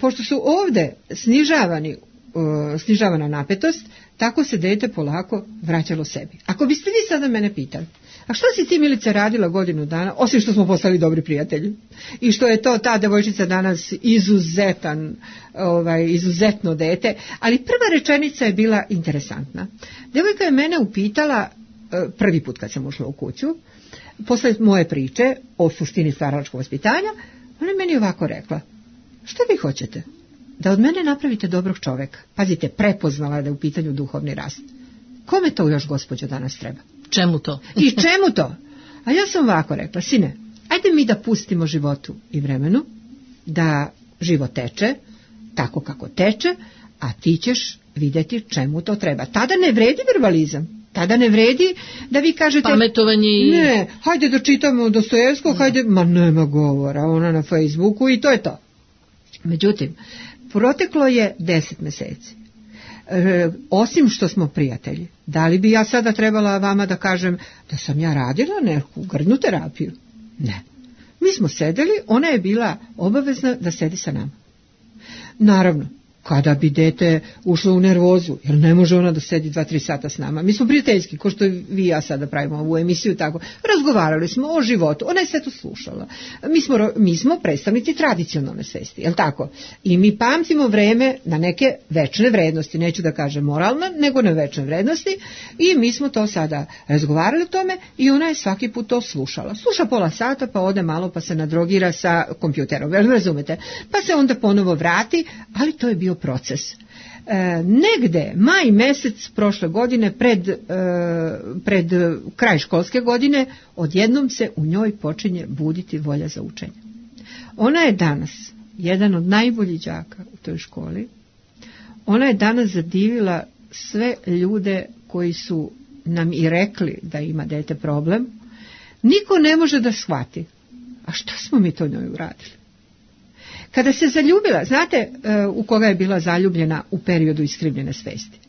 pošto su ovde snižavani, uh, snižavana napetost, tako se dete polako vraćalo sebi. Ako biste vi sada mene pitali, a što si ti, Milice, radila godinu dana, osim što smo postali dobri prijatelji i što je to ta devojčica danas izuzetan, ovaj, izuzetno dete, ali prva rečenica je bila interesantna. Devojka je mene upitala prvi put kad sam ušla u kuću, posle moje priče o suštini stvaralačkog vaspitanja, ona je meni ovako rekla: što vi hoćete? Da od mene napravite dobrog čoveka. Pazite, prepoznala da je u pitanju duhovni rast. Kome to još, gospođo, danas treba? Čemu to? I čemu to? A ja sam ovako rekla: sine, ajde mi da pustimo životu i vremenu, da život teče tako kako teče, a ti ćeš vidjeti čemu to treba. Tada ne vredi verbalizam. Tada ne vredi da vi kažete pametovanje i... ne, hajde da čitamo Dostojevskog, hajde, ma nema govora, ona na Facebooku i to je to. Međutim, proteklo je deset meseci. E, osim što smo prijatelji, da li bi ja sada trebala vama da kažem da sam ja radila neku grdnu terapiju? Ne. Mi smo sedeli, ona je bila obavezna da sedi sa nama. Naravno, kada bi dete ušlo u nervozu, jer ne može ona da sedi dva, tri sata s nama. Mi smo prijateljski, ko što vi i ja sada pravimo ovu emisiju, tako. Razgovarali smo o životu, ona je sve to slušala. Mi smo, mi smo predstavnici tradicionalne svesti, je li tako? I mi pamtimo vreme na neke večne vrednosti, neću da kažem moralna, nego na večne vrednosti, i mi smo to sada razgovarali o tome i ona je svaki put to slušala. Sluša pola sata, pa ode malo, pa se nadrogira sa kompjuterom, jel razumete? Pa se onda ponovo vrati, ali to je bio proces. E, negde, maj mesec prošle godine, pred, e, pred kraj školske godine, odjednom se u njoj počinje buditi volja za učenje. Ona je danas jedan od najboljih đaka u toj školi. Ona je danas zadivila sve ljude koji su nam i rekli da ima dete problem. Niko ne može da shvati. A šta smo mi to njoj uradili? Kada se zaljubila, znate u koga je bila zaljubljena u periodu iskrivljene svesti?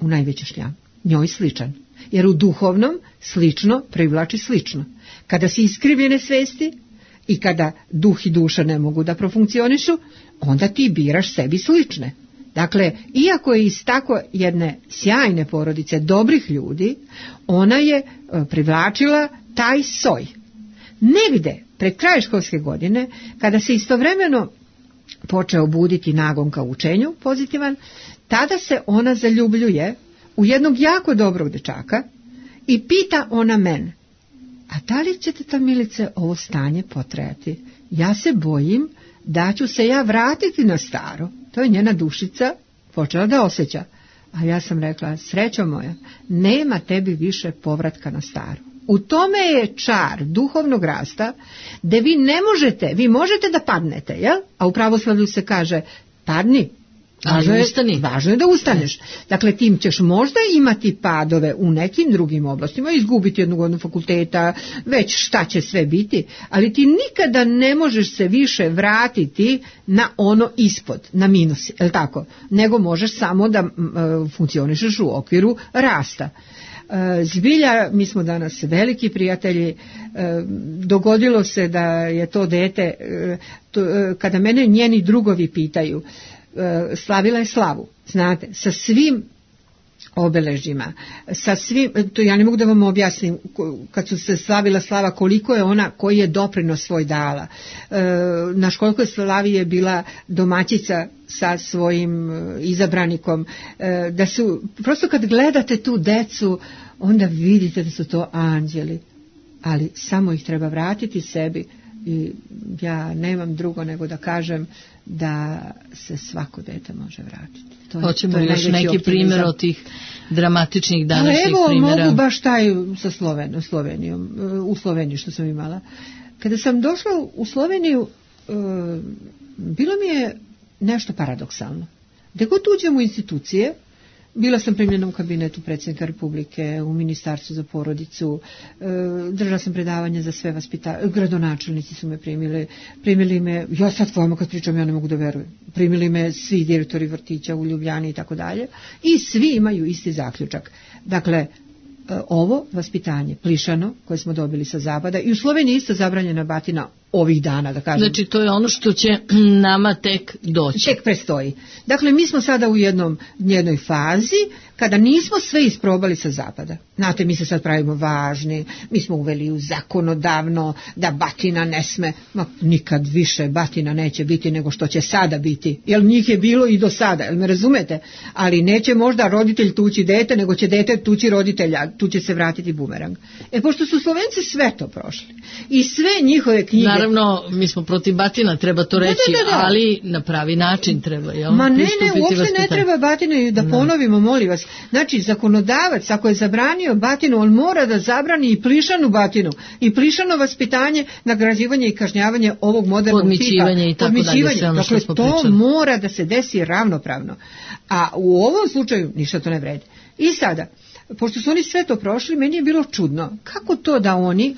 U najveće šljam. Njoj sličan. Jer u duhovnom slično privlači slično. Kada si iskrivljene svesti i kada duh i duša ne mogu da profunkcionišu, onda ti biraš sebi slične. Dakle, iako je iz tako jedne sjajne porodice dobrih ljudi, ona je privlačila taj soj. Negde, pred kraj školske godine, kada se istovremeno počeo buditi nagon ka učenju pozitivan, tada se ona zaljubljuje u jednog jako dobrog dečaka i pita ona mene: a da li će te, ta Milice, ovo stanje potrajati? Ja se bojim da ću se ja vratiti na staro. To je njena dušica počela da osjeća. A ja sam rekla: srećo moja, nema tebi više povratka na staro. U tome je čar duhovnog rasta, da vi ne možete, vi možete da padnete, jel? A u pravoslavlju se kaže: padni, važno je, važno je da ustaneš. Dakle, tim ćeš možda imati padove u nekim drugim oblastima, izgubiti jednu godinu fakulteta, već šta će sve biti, ali ti nikada ne možeš se više vratiti na ono ispod, na minus, jel tako? Nego možeš samo da uh, funkcionišeš u okviru rasta. Zbilja, mi smo danas veliki prijatelji. Dogodilo se da je to dete, kada mene njeni drugovi pitaju, slavila je slavu, znate, sa svim obeležjima, sa svim, to ja ne mogu da vam objasnim, kad su se slavila slava, koliko je ona, koji je doprinos svoj dala. Na školskoj slavi je bila domaćica sa svojim izabranikom, da su, prosto kad gledate tu decu, onda vidite da su to anđeli, ali samo ih treba vratiti sebi. I ja nemam drugo nego da kažem da se svako dete može vratiti. To je, hoćemo to je još neki primjer od tih dramatičnih današnjih evo, primjera. Evo, mogu baš taj sa Sloven, Slovenijom, u Sloveniji što sam imala. Kada sam došla u Sloveniju, bilo mi je nešto paradoksalno. Gde god uđem u institucije, bila sam primljena u kabinetu predsjednika Republike, u ministarstvu za porodicu, držala sam predavanje za sve vaspitanje, gradonačelnici su me primili, primili me, ja sad vama kad pričam, ja ne mogu da verujem, primili me svi direktori vrtića u Ljubljani i tako dalje, i svi imaju isti zaključak. Dakle, ovo vaspitanje, plišano, koje smo dobili sa zapada, i u Sloveniji isto zabranjena batina ovih dana, da kažem. Znači, to je ono što će nama tek doći. Tek prestoji. Dakle, mi smo sada u jednom, jednoj fazi kada nismo sve isprobali sa zapada. Znate, mi se sad pravimo važni, mi smo uveli u zakonodavno da batina ne sme, ma nikad više batina neće biti nego što će sada biti, jer njih je bilo i do sada, jel me razumete? Ali neće možda roditelj tući dete, nego će dete tući roditelja, tu će se vratiti bumerang. E, pošto su Slovenci sve to prošli i sve njihove knjige... Naravno, mi smo protiv batina, treba to reći, da, da, da, da. Ali na pravi način treba, jel? Ma ne, ne, uopšte ne treba batine, da ponovimo, molim vas. Znači, zakonodavac, ako je zabranio batinu, on mora da zabrani i plišanu batinu, i plišano vaspitanje, nagrađivanje i kažnjavanje ovog modernog tipa. Podmićivanje i tako dalje, sve ono što smo pričali. Dakle, to mora da se desi ravnopravno. A u ovom slučaju ništa to ne vredi. I sada, pošto su oni sve to prošli, meni je bilo čudno. Kako to da oni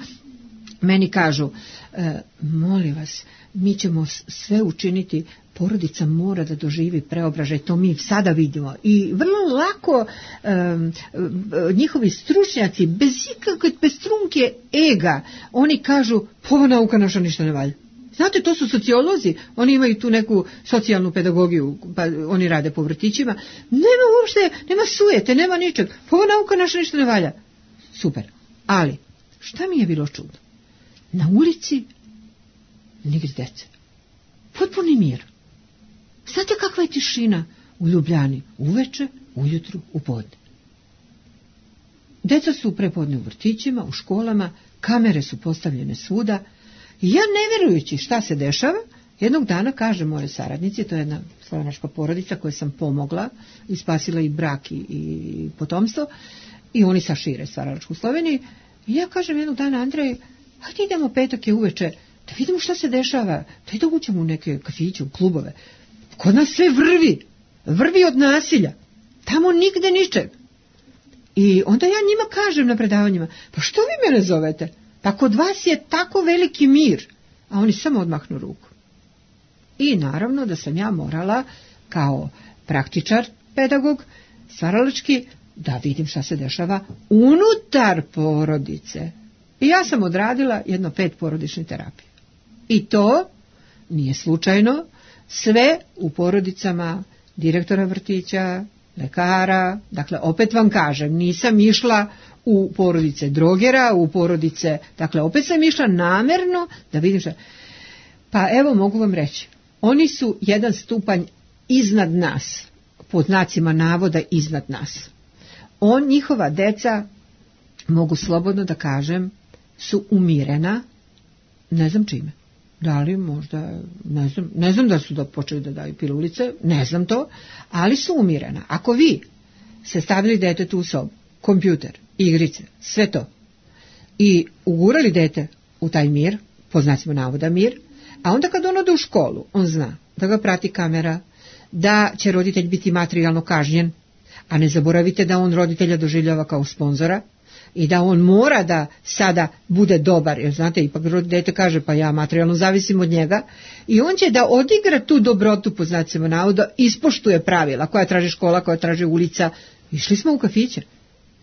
meni kažu, e, molim vas, mi ćemo sve učiniti, porodica mora da doživi preobražaj, to mi sada vidimo. I vrlo lako um, njihovi stručnjaci, bez ikakve, bez trunke ega, oni kažu, ova nauka naša ništa ne valja. Znate, to su sociolozi, oni imaju tu neku socijalnu pedagogiju, pa oni rade po vrtićima. Nema uopšte, nema sujete, nema ničeg. Ova nauka naša ništa ne valja. Super. Ali, šta mi je bilo čudno? Na ulici nigdje dece. Potpuni mir. Znate kakva je tišina u Ljubljani? Uveče, ujutru, u podne. Deca su prepodne u vrtićima, u školama, kamere su postavljene svuda. I ja, ne vjerujući šta se dešava, jednog dana kaže moje saradnici, to je jedna slovenačka porodica koja sam pomogla i spasila i brak i, i potomstvo, i oni sa šire stvaralačku Sloveniji. I ja kažem jednog dana, Andrej, hajde idemo, petak je uveče, da vidimo šta se dešava, da da uđemo u neke kafiće, u klubove. Kod nas sve vrvi, vrvi od nasilja, tamo nigde ničeg. I onda ja njima kažem na predavanjima, pa što vi mene zovete? Pa kod vas je tako veliki mir. A oni samo odmahnu ruku. I naravno da sam ja morala kao praktičar, pedagog, stvaralački, da vidim šta se dešava unutar porodice. I ja sam odradila jedno pet porodičnih terapija. I to nije slučajno, sve u porodicama direktora vrtića, lekara, dakle opet vam kažem, nisam išla u porodice drogera, u porodice, dakle opet sam išla namerno da vidim šta. Pa evo mogu vam reći, oni su jedan stupanj iznad nas, pod znacima navoda iznad nas. On, njihova deca, mogu slobodno da kažem, su umirena, ne znam čime. Da li možda, ne znam, ne znam da su da počeli da daju pilulice, ne znam to, ali su umirena. Ako vi se stavili detetu u sobu, kompjuter, igrice, sve to, i ugurali dete u taj mir, po znacima navoda mir, a onda kad on ode u školu, on zna da ga prati kamera, da će roditelj biti materijalno kažnjen, a ne zaboravite da on roditelja doživljava kao sponzora, i da on mora da sada bude dobar, jer znate, ipak dete kaže, pa ja materijalno zavisim od njega, i on će da odigra tu dobrotu, po znacima navoda, ispoštuje pravila koja traži škola, koja traži ulica. Išli smo u kafiće.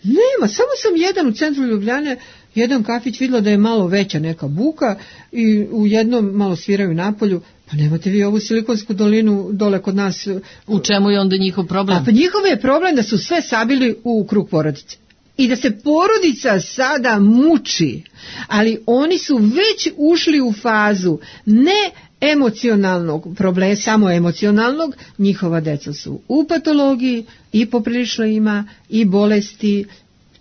Nema, samo sam jedan u centru Ljubljane, jedan kafić vidjela da je malo veća neka buka i u jednom malo sviraju napolju. Pa nemate vi ovu Silikonsku dolinu dole kod nas. U čemu je onda njihov problem? A pa njihov je problem da su sve sabili u krug porodice. I da se porodica sada muči, ali oni su već ušli u fazu ne emocionalnog problema, samo emocionalnog, njihova deca su u patologiji i poprilično ima i bolesti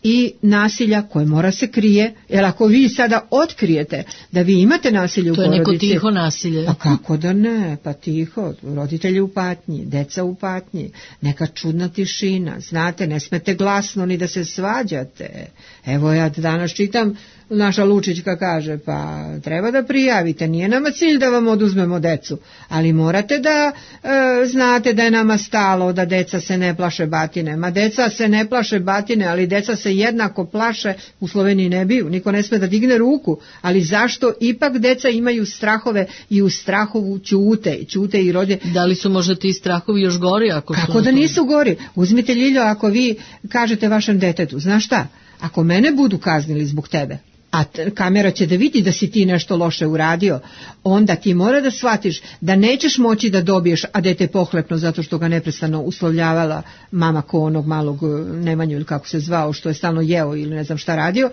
i nasilja koje mora se krije, jer ako vi sada otkrijete da vi imate nasilje u porodici... To je neko tiho nasilje. Pa kako da ne, pa tiho, roditelji u patnji, deca u patnji, neka čudna tišina, znate, ne smete glasno ni da se svađate. Evo ja danas čitam, naša Lučićka kaže, pa treba da prijavite, nije nama cilj da vam oduzmemo decu, ali morate da e, znate da je nama stalo da deca se ne plaše batine. Ma deca se ne plaše batine, ali deca se jednako plaše, u Sloveniji ne biju, niko ne sme da digne ruku, ali zašto ipak deca imaju strahove i u strahovu ćute, ćute i rodje. Da li su možda ti strahovi još gori? Ako Kako da nisu gori? Uzmite, Ljiljo, ako vi kažete vašem detetu, znaš šta, ako mene budu kaznili zbog tebe, a kamera će da vidi da si ti nešto loše uradio, onda ti mora da shvatiš da nećeš moći da dobiješ, a dete je pohlepno zato što ga neprestano uslovljavala mama ko onog malog Nemanju ili kako se zvao, što je stalno jeo ili ne znam šta radio,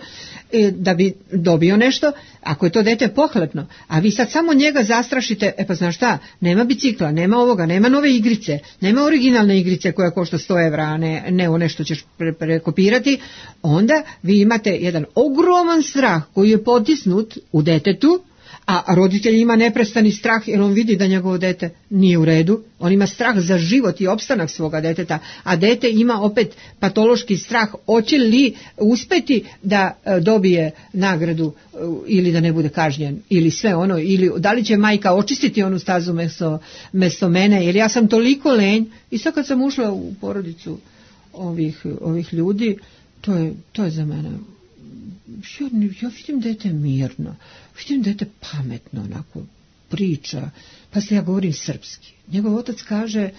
da bi dobio nešto. Ako je to dete pohlepno, a vi sad samo njega zastrašite, e pa znaš šta, nema bicikla, nema ovoga, nema nove igrice, nema originalne igrice koja košta sto evra, a ne, ne one što ćeš pre, prekopirati, onda vi imate jedan ogroman strah koji je potisnut u detetu, a roditelj ima neprestani strah jer on vidi da njegovo dete nije u redu, on ima strah za život i opstanak svoga deteta, a dete ima opet patološki strah hoće li uspeti da dobije nagradu ili da ne bude kažnjen ili sve ono, ili da li će majka očistiti onu stazu mesto, mesto mene, jer ja sam toliko lenj. I sad kad sam ušla u porodicu ovih, ovih ljudi, to je, to je za mene, ja, ja vidim dete mirno, vidim dete pametno, onako priča, pa se ja govorim srpski. Njegov otac kaže,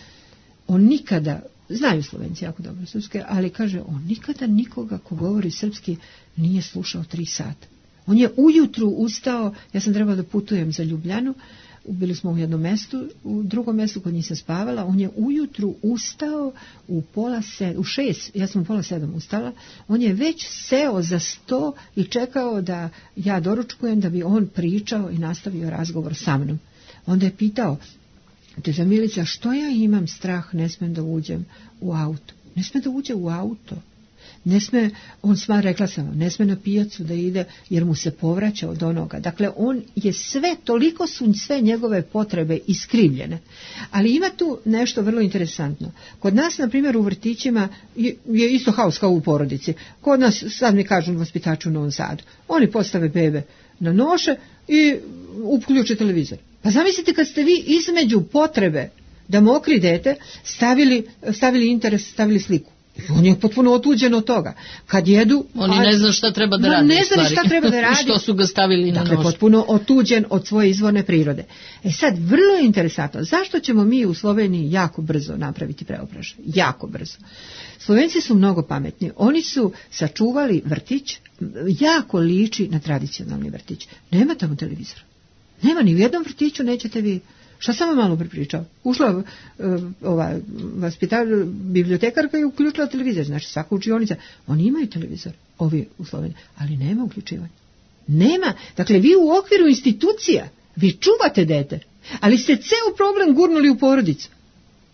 on nikada, znaju Slovenci jako dobro srpske, ali kaže, on nikada nikoga ko govori srpski nije slušao tri sata. On je ujutru ustao, ja sam trebala da putujem za Ljubljanu, bili smo u jednom mestu, u drugom mestu kod njih sam spavala, on je ujutru ustao u pola sedam, u šest, ja sam u pola sedam ustala, on je već seo za sto i čekao da ja doručkujem da bi on pričao i nastavio razgovor sa mnom. Onda je pitao, teta Milica, što ja imam strah, ne smem da uđem u auto. Ne sme da uđe u auto. Ne sme, on sma, rekla sam vam, ne sme na pijacu da ide jer mu se povraća od onoga. Dakle, on je sve, toliko su sve njegove potrebe iskrivljene. Ali ima tu nešto vrlo interesantno. Kod nas, na primjer, u vrtićima je, je isto haos kao u porodici. Kod nas, sad mi kažu vaspitaču u Novom Sadu, oni postave bebe na noše i uključe televizor. Pa zamislite kad ste vi između potrebe da mokri dete stavili, stavili interes, stavili sliku. On je potpuno otuđen od toga. Kad jedu... Oni ne znaju šta treba da radi. Ne znaju šta treba da radi. Što su ga stavili na dakle, nož. Potpuno otuđen od svoje izvorne prirode. E sad, vrlo je interesantno. Zašto ćemo mi u Sloveniji jako brzo napraviti preobražaj? Jako brzo. Slovenci su mnogo pametni. Oni su sačuvali vrtić, jako liči na tradicionalni vrtić. Nema tamo televizora. Nema, ni u jednom vrtiću nećete vi... Šta sam vam malo prepričao? Ušla uh, ova vaspitač, bibliotekarka i uključila televizor. Znači svaka učionica, oni imaju televizor, ovi u Sloveniji, ali nema uključivanja. Nema. Dakle, vi u okviru institucija, vi čuvate dete, ali ste ceo problem gurnuli u porodicu.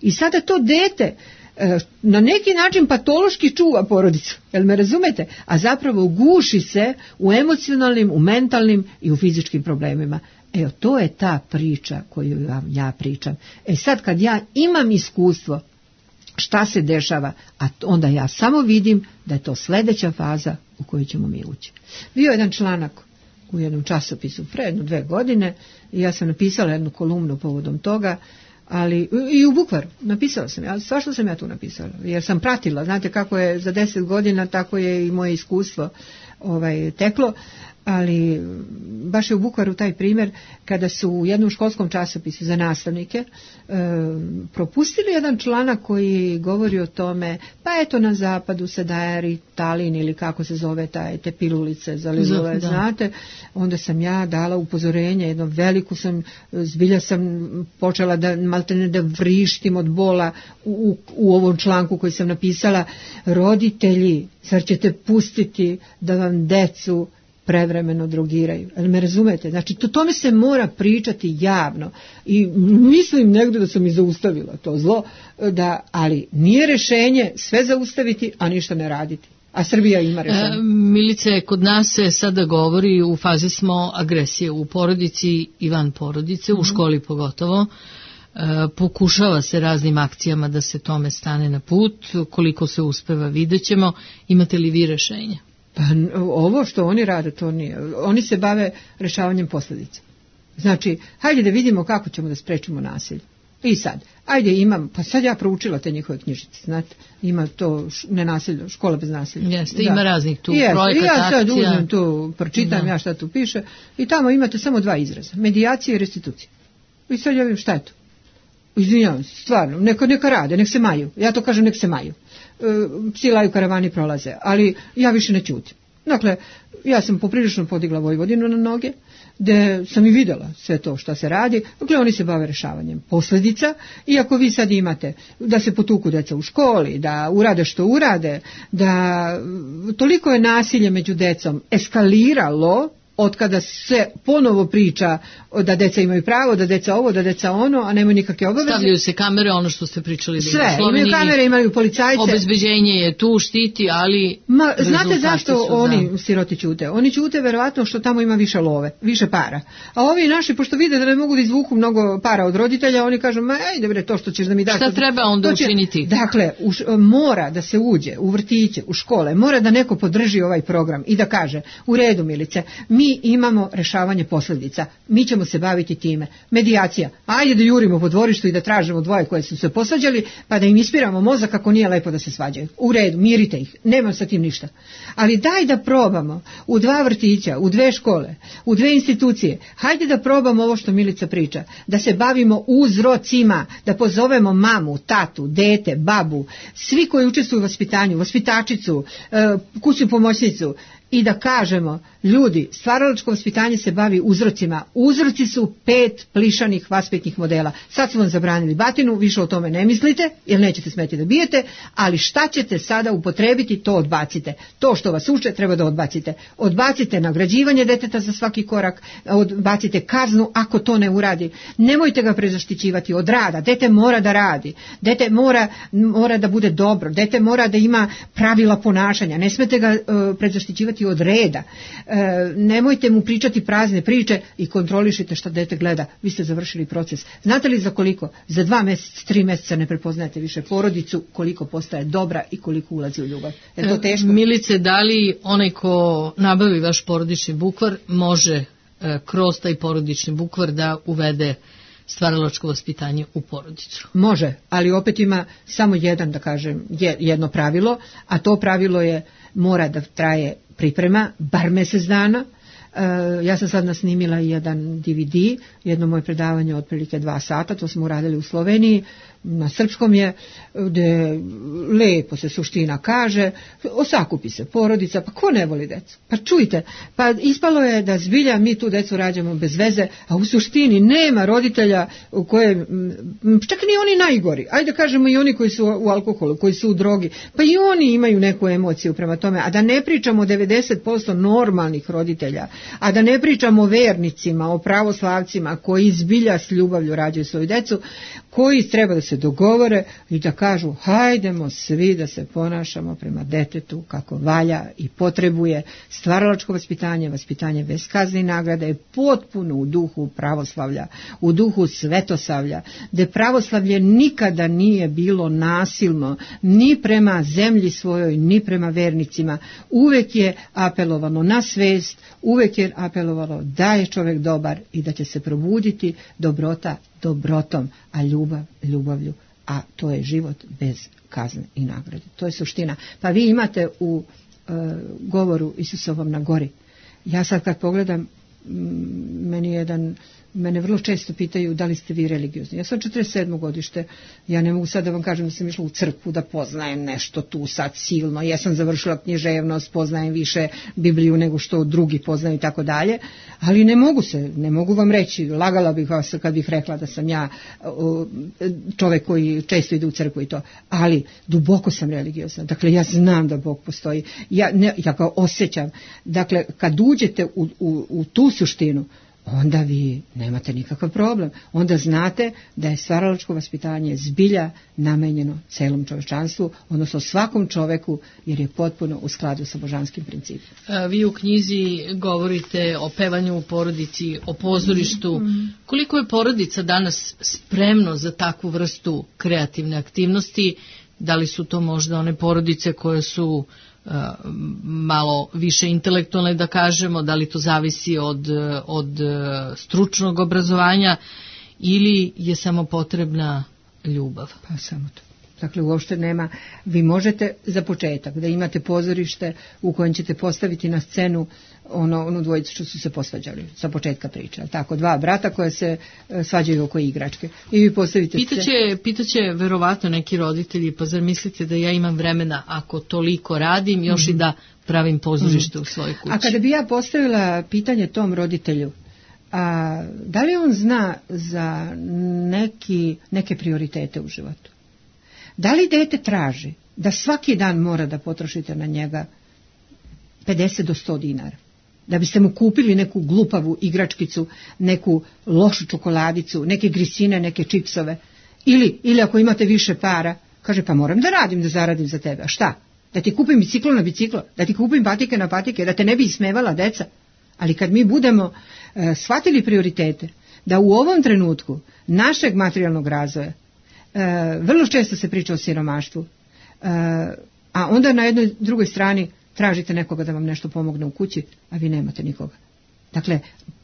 I sada to dete uh, na neki način patološki čuva porodicu. Jel me razumete? A zapravo guši se u emocionalnim, u mentalnim i u fizičkim problemima. Evo, to je ta priča koju vam ja pričam. E sad kad ja imam iskustvo šta se dešava, a onda ja samo vidim da je to sljedeća faza u koju ćemo mi ući. Bio je jedan članak u jednom časopisu pre jedno dve godine i ja sam napisala jednu kolumnu povodom toga, ali i u Bukvaru napisala sam, ja, svašta sam ja tu napisala, jer sam pratila, znate kako je za deset godina, tako je i moje iskustvo ovaj, teklo. Ali baš je u Bukvaru taj primjer kada su u jednom školskom časopisu za nastavnike e, propustili jedan članak koji govori o tome, pa eto na zapadu se daje Ritalin ili kako se zove taj, te pilulice za lizove, znate, onda sam ja dala upozorenje, jedno veliku sam, zbilja sam počela da maltene da vrištim od bola u, u, u ovom članku koji sam napisala, roditelji, zar ćete pustiti da vam decu prevremeno drogiraju. Ali me razumete? Znači, to tome se mora pričati javno. I mislim negdje da sam i zaustavila to zlo, da, ali nije rešenje sve zaustaviti, a ništa ne raditi. A Srbija ima rešenje. E, Milice, kod nas se sada govori, u fazi smo agresije u porodici i van porodice, mm-hmm. u školi pogotovo. E, pokušava se raznim akcijama da se tome stane na put. Koliko se uspeva, vidjet ćemo. Imate li vi rešenja? Pa ovo što oni rade, to nije. Oni se bave rešavanjem posljedica. Znači, hajde da vidimo kako ćemo da sprečimo nasilje. I sad, ajde imam, pa sad ja proučila te njihove knjižice, znate, ima to nenasilje, škola bez nasilja. Jeste, ima raznih tu Jeste, projekata, ja sad akcija. uzmem tu, pročitam da. Ja šta tu piše i tamo imate samo dva izraza, medijacija i restitucija. I sad ja vidim šta je to. Izvinjavam se, stvarno, neka, neka rade, nek se maju. Ja to kažem, nek se maju. E, psi laju, karavani prolaze, ali ja više ne ćutim. Dakle, ja sam poprilično podigla Vojvodinu na noge, gde sam i videla sve to što se radi. Dakle, oni se bave rešavanjem posljedica, i ako vi sad imate da se potuku deca u školi, da urade što urade, da toliko je nasilje među decom eskaliralo od kada se ponovo priča da deca imaju pravo, da deca ovo, da deca ono, a nemaju nikakve obaveze. Stavljaju se kamere, ono što ste pričali. Sve, imaju kamere, imaju policajce. Obezbeđenje je tu, štiti, ali... Ma, znate zašto oni za... siroti ćute? Oni ćute verovatno što tamo ima više love, više para. A ovi naši, pošto vide da ne mogu da izvuku mnogo para od roditelja, oni kažu, ma ajde bre, to što ćeš da mi daš... Šta treba onda će... učiniti? Dakle, u š... mora da se uđe u vrtiće, u škole, mora da neko podrži ovaj program i da kaže, u redu Milice, mi Mi imamo rešavanje posljedica, mi ćemo se baviti time. Medijacija, ajde da jurimo po dvorištu i da tražimo dvoje koje su se posvađali, pa da im ispiramo mozak kako nije lepo da se svađaju. U redu, mirite ih, nemam sa tim ništa. Ali daj da probamo u dva vrtića, u dve škole, u dve institucije, hajde da probamo ovo što Milica priča, da se bavimo uzrocima, da pozovemo mamu, tatu, dete, babu, svi koji učestvuju u vaspitanju, vaspitačicu, kućnu pomoćnicu, i da kažemo, ljudi, stvaralačko vaspitanje se bavi uzrocima. Uzroci su pet plišanih vaspitnih modela. Sad su vam zabranili batinu, više o tome ne mislite, jer nećete smeti da bijete, ali šta ćete sada upotrebiti, to odbacite. To što vas uče treba da odbacite. Odbacite nagrađivanje deteta za svaki korak, odbacite kaznu ako to ne uradi. Nemojte ga prezaštićivati od rada. Dete mora da radi. Dete mora, mora da bude dobro. Dete mora da ima pravila ponašanja. Ne smete ga uh, prezaštićivati od reda. E, nemojte mu pričati prazne priče i kontrolišite šta dete gleda. Vi ste završili proces. Znate li za koliko? Za dva mjeseca, tri mjeseca ne prepoznajete više porodicu, koliko postaje dobra i koliko ulazi u ljubav. Je to teško? Milice, da li onaj ko nabavi vaš porodični bukvar može e, kroz taj porodični bukvar da uvede stvaralačko vaspitanje u porodicu? Može, ali opet ima samo jedan, da kažem, jedno pravilo, a to pravilo je mora da traje priprema, bar mjesec dana. E, ja sam sad nasnimila jedan D V D, jedno moje predavanje otprilike dva sata, to smo uradili u Sloveniji, na srpskom je, gde lepo se suština kaže, osakupi se porodica, pa ko ne voli decu? Pa čujte, pa ispalo je da zbilja mi tu decu rađamo bez veze, a u suštini nema roditelja u koje, čak ni oni najgori, ajde kažemo i oni koji su u alkoholu, koji su u drogi, pa i oni imaju neku emociju prema tome, a da ne pričamo o devedeset posto normalnih roditelja, a da ne pričamo o vernicima, o pravoslavcima koji zbilja s ljubavlju rađaju svoju decu, koji treba da se dogovore i da kažu hajdemo svi da se ponašamo prema detetu kako valja i potrebuje. Stvaralačko vaspitanje, vaspitanje bez kazne i nagrade je potpuno u duhu pravoslavlja, u duhu svetosavlja, gde pravoslavlje nikada nije bilo nasilno ni prema zemlji svojoj, ni prema vernicima. Uvek je apelovano na svest, uvek je apelovalo da je čovjek dobar i da će se probuditi dobrota dobrotom, a ljubav ljubavlju, a to je život bez kazne i nagrade. To je suština. Pa vi imate u e, govoru Isusovom na gori. Ja sad kad pogledam, m, meni jedan Mene vrlo često pitaju da li ste vi religiozni. Ja sam četrdeset sedmo godište, ja ne mogu sad da vam kažem da sam išla u crkvu, da poznajem nešto tu sad silno. Ja sam završila književnost, poznajem više Bibliju nego što drugi poznaju i tako dalje, ali ne mogu se, ne mogu vam reći, lagala bih vas kad bih rekla da sam ja čovjek koji često ide u crkvu i to, ali duboko sam religiozna. Dakle, ja znam da Bog postoji, ja, ne, ja ga osjećam. Dakle, kad uđete u, u, u tu suštinu, onda vi nemate nikakav problem. Onda znate da je stvaralačko vaspitanje zbilja namenjeno celom čovečanstvu, odnosno svakom čoveku, jer je potpuno u skladu sa božanskim principima. Vi u knjizi govorite o pevanju u porodici, o pozorištu. Koliko je porodica danas spremno za takvu vrstu kreativne aktivnosti? Da li su to možda one porodice koje su malo više intelektualne, da kažemo, da li to zavisi od, od stručnog obrazovanja ili je samo potrebna ljubav? Pa samo to. Dakle, uopšte nema, vi možete za početak da imate pozorište u kojem ćete postaviti na scenu ono, onu dvojicu što su se posvađali sa početka priče. Tako, dva brata koje se e, svađaju oko igračke. I vi postavite Pitaće, scenu. pitaće verovatno neki roditelji, pa zar mislite da ja imam vremena ako toliko radim, još mm-hmm. i da pravim pozorište mm-hmm. u svojoj kući? A kada bi ja postavila pitanje tom roditelju, a, da li on zna za neki, neke prioritete u životu? Da li dete traži da svaki dan mora da potrošite na njega pedeset do sto dinara? Da biste mu kupili neku glupavu igračkicu, neku lošu čokoladicu, neke grisine, neke čipsove? Ili, ili ako imate više para, kaže pa moram da radim, da zaradim za tebe. A šta? Da ti kupim biciklo na biciklo? Da ti kupim patike na patike? Da te ne bi ismevala deca? Ali kad mi budemo e, shvatili prioritete, da u ovom trenutku našeg materijalnog razvoja, E, vrlo često se priča o siromaštvu, e, a onda na jednoj drugoj strani tražite nekoga da vam nešto pomogne u kući, a vi nemate nikoga. Dakle,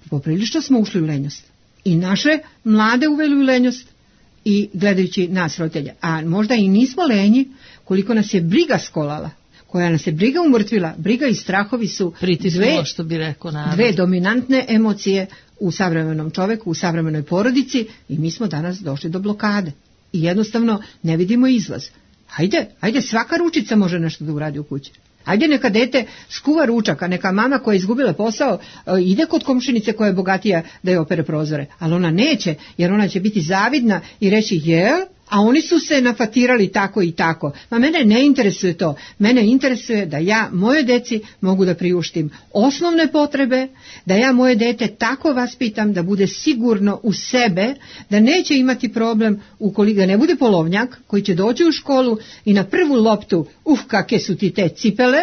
poprilično smo ušli u lenjost. I naše mlade uveli u lenjost i gledajući nas roditelja. A možda i nismo lenji koliko nas je briga skolala, koja nas je briga umrtvila. Briga i strahovi su dve, što bi rekao, narod. dve dominantne emocije u savremenom čoveku, u savremenoj porodici i mi smo danas došli do blokade. I jednostavno ne vidimo izlaz. Hajde, hajde, svaka ručica može nešto da uradi u kući. Hajde neka dete skuva ručak, a neka mama koja je izgubila posao ide kod komšinice koja je bogatija da je opere prozore. Ali ona neće, jer ona će biti zavidna i reći jel, a oni su se nafatirali tako i tako. Ma mene ne interesuje to. Mene interesuje da ja moje deci mogu da priuštim osnovne potrebe, da ja moje dete tako vaspitam da bude sigurno u sebe, da neće imati problem ukoliko da ne bude polovnjak koji će doći u školu i na prvu loptu, uf kakve su ti te cipele,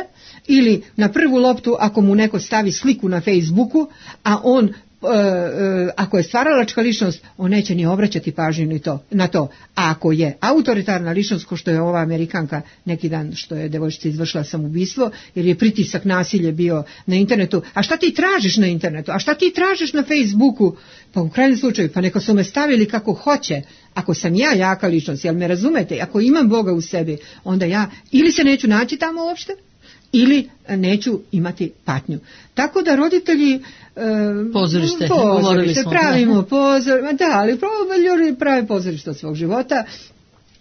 ili na prvu loptu ako mu neko stavi sliku na Facebooku, a on E, e, ako je stvaralačka ličnost, on neće ni obraćati pažnju ni to, na to. A ako je autoritarna ličnost, ko što je ova Amerikanka neki dan što je devojčica izvršila samoubistvo, jer je pritisak nasilje bio na internetu. A šta ti tražiš na internetu? A šta ti tražiš na Facebooku? Pa u krajnjem slučaju, pa neka su me stavili kako hoće. Ako sam ja jaka ličnost, jel me razumete? Ako imam Boga u sebi, onda ja ili se neću naći tamo uopšte, ili neću imati patnju. Tako da roditelji e, pozorište, pozorište pravimo pozorište, da, ali ljudi prave pozorište od svog života.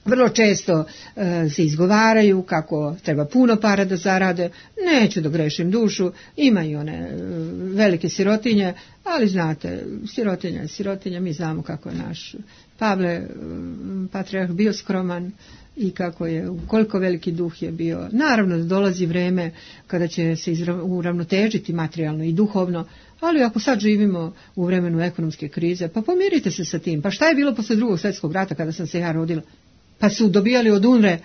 Vrlo često e, se izgovaraju kako treba puno para da zarade, neću da grešim dušu, imaju one e, velike sirotinje, ali znate, sirotinja je sirotinja, mi znamo kako je naš Pavle, e, patrijarh, bio skroman, i kako je, koliko veliki duh je bio. Naravno da dolazi vreme kada će se uravnotežiti materijalno i duhovno, ali ako sad živimo u vremenu ekonomske krize, pa pomirite se sa tim. Pa šta je bilo posle drugog svjetskog rata kada sam se ja rodila? Pa su dobijali od UNRE e,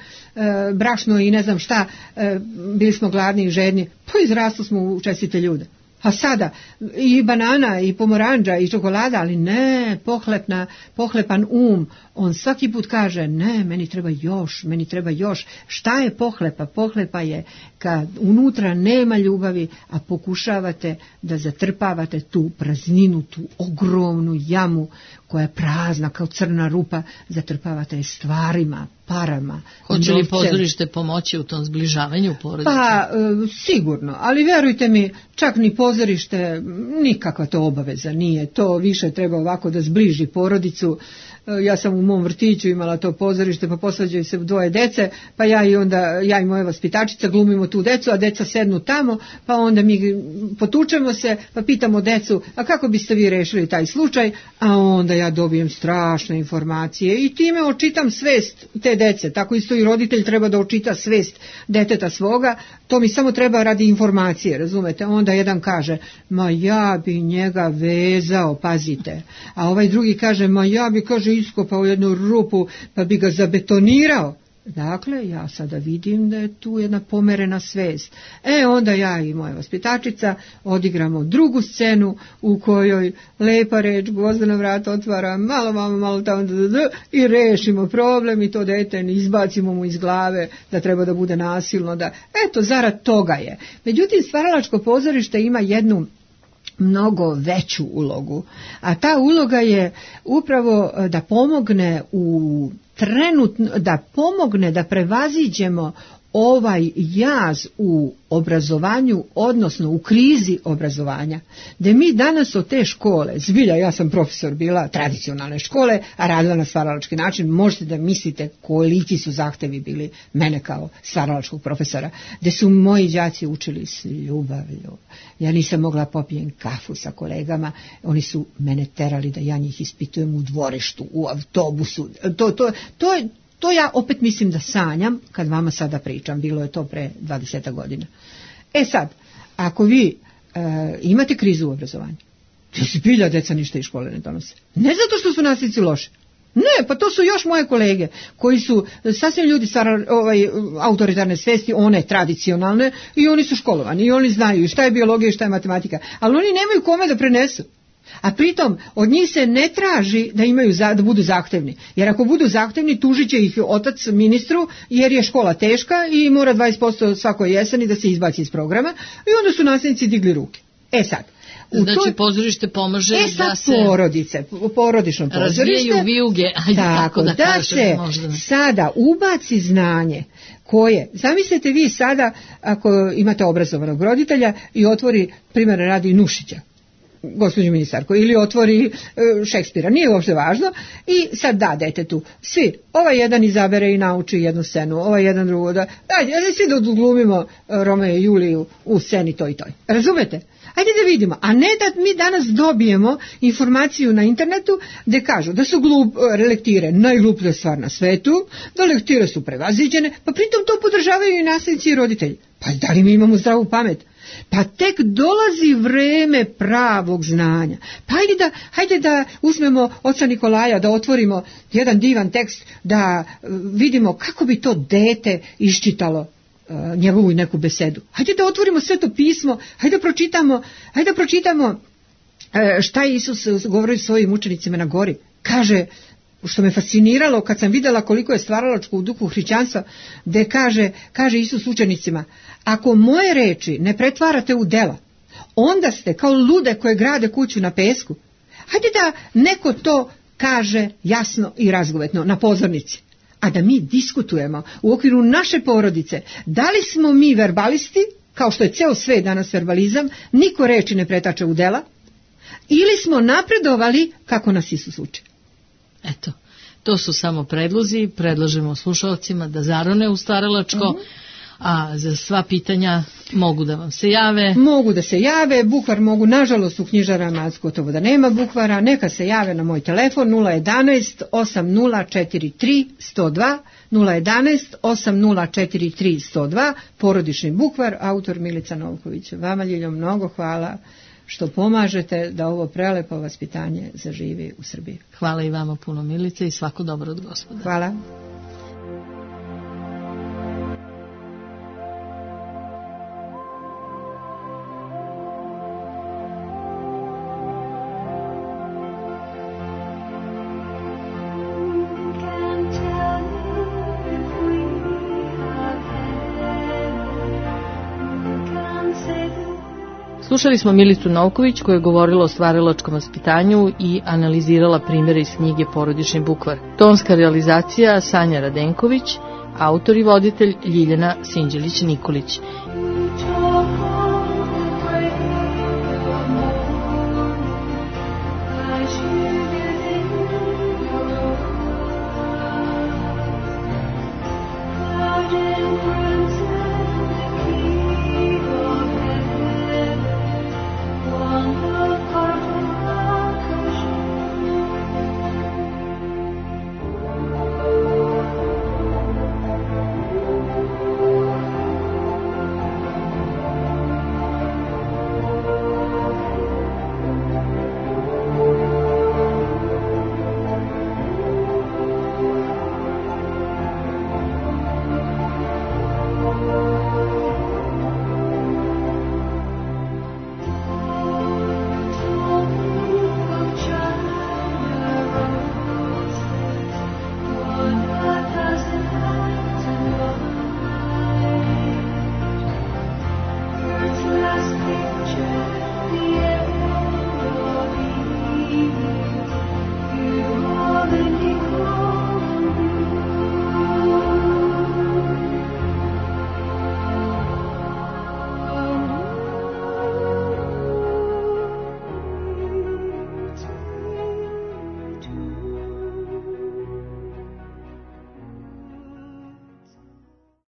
brašno i ne znam šta, e, bili smo gladni i žedni, pa izrastu smo u čestite ljude. A sada i banana i pomoranđa i čokolada, ali ne, pohlepna, pohlepan um, on svaki put kaže ne, meni treba još, meni treba još. Šta je pohlepa? Pohlepa je kad unutra nema ljubavi, a pokušavate da zatrpavate tu prazninu, tu ogromnu jamu koja je prazna kao crna rupa, zatrpavate je stvarima, parama. Hoće li pozorište pomoći u tom zbližavanju porodice? Pa, e, sigurno, ali vjerujte mi, čak ni pozorište, nikakva to obaveza nije. To više treba ovako da zbliži porodicu. Ja sam u mom vrtiću imala to pozorište, pa posvađaju se dvoje dece, pa ja i onda, ja i moja vaspitačica glumimo tu decu, a deca sednu tamo, pa onda mi potučemo se, pa pitamo decu, a kako biste vi rešili taj slučaj, a onda ja dobijem strašne informacije i time očitam svest te dece, tako isto i roditelj treba da očita svest deteta svoga, to mi samo treba radi informacije, razumete, onda jedan kaže, ma ja bi njega vezao, pazite, a ovaj drugi kaže, ma ja bi, kaže, iskopao jednu rupu pa bi ga zabetonirao. Dakle, ja sada vidim da je tu jedna pomerena svest. E, onda ja i moja vaspitačica odigramo drugu scenu u kojoj lepa reč gvozdena vrata otvara, malo, malo, malo tamo da, da, da, i rešimo problem i to dete izbacimo mu iz glave da treba da bude nasilno. Da, eto, zarad toga je. Međutim, stvaralačko pozorište ima jednu mnogo veću ulogu, a ta uloga je upravo da pomogne u trenutno, da pomogne da prevaziđemo ovaj jaz u obrazovanju, odnosno u krizi obrazovanja, da mi danas od te škole, zbilja ja sam profesor bila tradicionalne škole, a radila na stvaralački način, možete da mislite koliki su zahtevi bili mene kao stvaralačkog profesora, gde su moji đaci učili s ljubavlju. Ja nisam mogla popijem kafu sa kolegama, oni su mene terali da ja njih ispitujem u dvorištu, u autobusu, to, to, to je To ja opet mislim da sanjam kad vama sada pričam, bilo je to pre dvadeset godina. E sad, ako vi e, imate krizu u obrazovanju, to se bilja deca ništa iz škole ne donose. Ne zato što su nastavnici loši. Ne, pa to su još moje kolege koji su sasvim ljudi stvara, ovaj, autoritarne svesti, one tradicionalne, i oni su školovani i oni znaju šta je biologija i šta je matematika, ali oni nemaju kome da prenesu. A pritom od njih se ne traži da imaju za, da budu zahtevni, jer ako budu zahtevni tužit će ih otac ministru jer je škola teška i mora dvadeset posto svakoj jeseni da se izbaci iz programa, i onda su nastavnici digli ruke. E sad, znači toj, pozorište pomaže e sad da se porodice, porodično pozorište razvijaju vijuge, ajde tako, tako da, da kažem, se možda. Sada ubaci znanje koje, zamislite vi sada ako imate obrazovanog roditelja i otvori, primjer radi, Nušića, gospođo ministarko, ili otvori e, Šekspira, nije uopšte važno, i sad da detetu, svi, ovaj jedan izabere i nauči jednu scenu, ovaj jedan drugo, da, ajde, svi da odglumimo Romeo i Juliju u sceni toj i toj. Razumete? Ajde da vidimo, a ne da mi danas dobijemo informaciju na internetu gde kažu da su glup, lektire najgluplja stvar na svetu, da lektire su prevaziđene, pa pritom to podržavaju i nastavnici i roditelji. Pa da li mi imamo zdravu pamet? Pa tek dolazi vreme pravog znanja. Pa hajde da, hajde da uzmemo oca Nikolaja, da otvorimo jedan divan tekst, da vidimo kako bi to dete iščitalo uh, njegovu neku besedu. Hajde da otvorimo Sveto pismo, hajde da pročitamo, hajde da pročitamo uh, šta je Isus govorio svojim učenicima na gori. Kaže, što me fasciniralo kad sam vidjela koliko je stvaralačko u duhu hrišćanstva, gde kaže, kaže Isus učenicima, ako moje reči ne pretvarate u dela, onda ste kao lude koje grade kuću na pesku. Hajde da neko to kaže jasno i razgovetno na pozornici, a da mi diskutujemo u okviru naše porodice, da li smo mi verbalisti, kao što je ceo svet danas verbalizam, niko reči ne pretače u dela, ili smo napredovali kako nas Isus uči. Eto, to su samo predlozi, predlažemo slušalcima da zarone u stvaralačko, uh-huh. A za sva pitanja mogu da vam se jave. Mogu da se jave, bukvar mogu, nažalost u knjižarama gotovo da nema bukvara, neka se jave na moj telefon nula jedanaest osam nula četiri tri jedan nula dva, nula jedanaest osam nula četiri tri jedan nula dva, porodični bukvar, autor Milica Novković. Vama, Ljiljo, mnogo hvala što pomažete da ovo prelepo vaspitanje zaživi u Srbiji. Hvala i vama puno, Milice, i svako dobro od Gospoda. Hvala. Slušali smo Milicu Novković koja je govorila o stvaralačkom vaspitanju i analizirala primjere iz knjige Porodični bukvar. Tonska realizacija Sanja Radenković, autor i voditelj Ljiljana Sinđelić-Nikolić.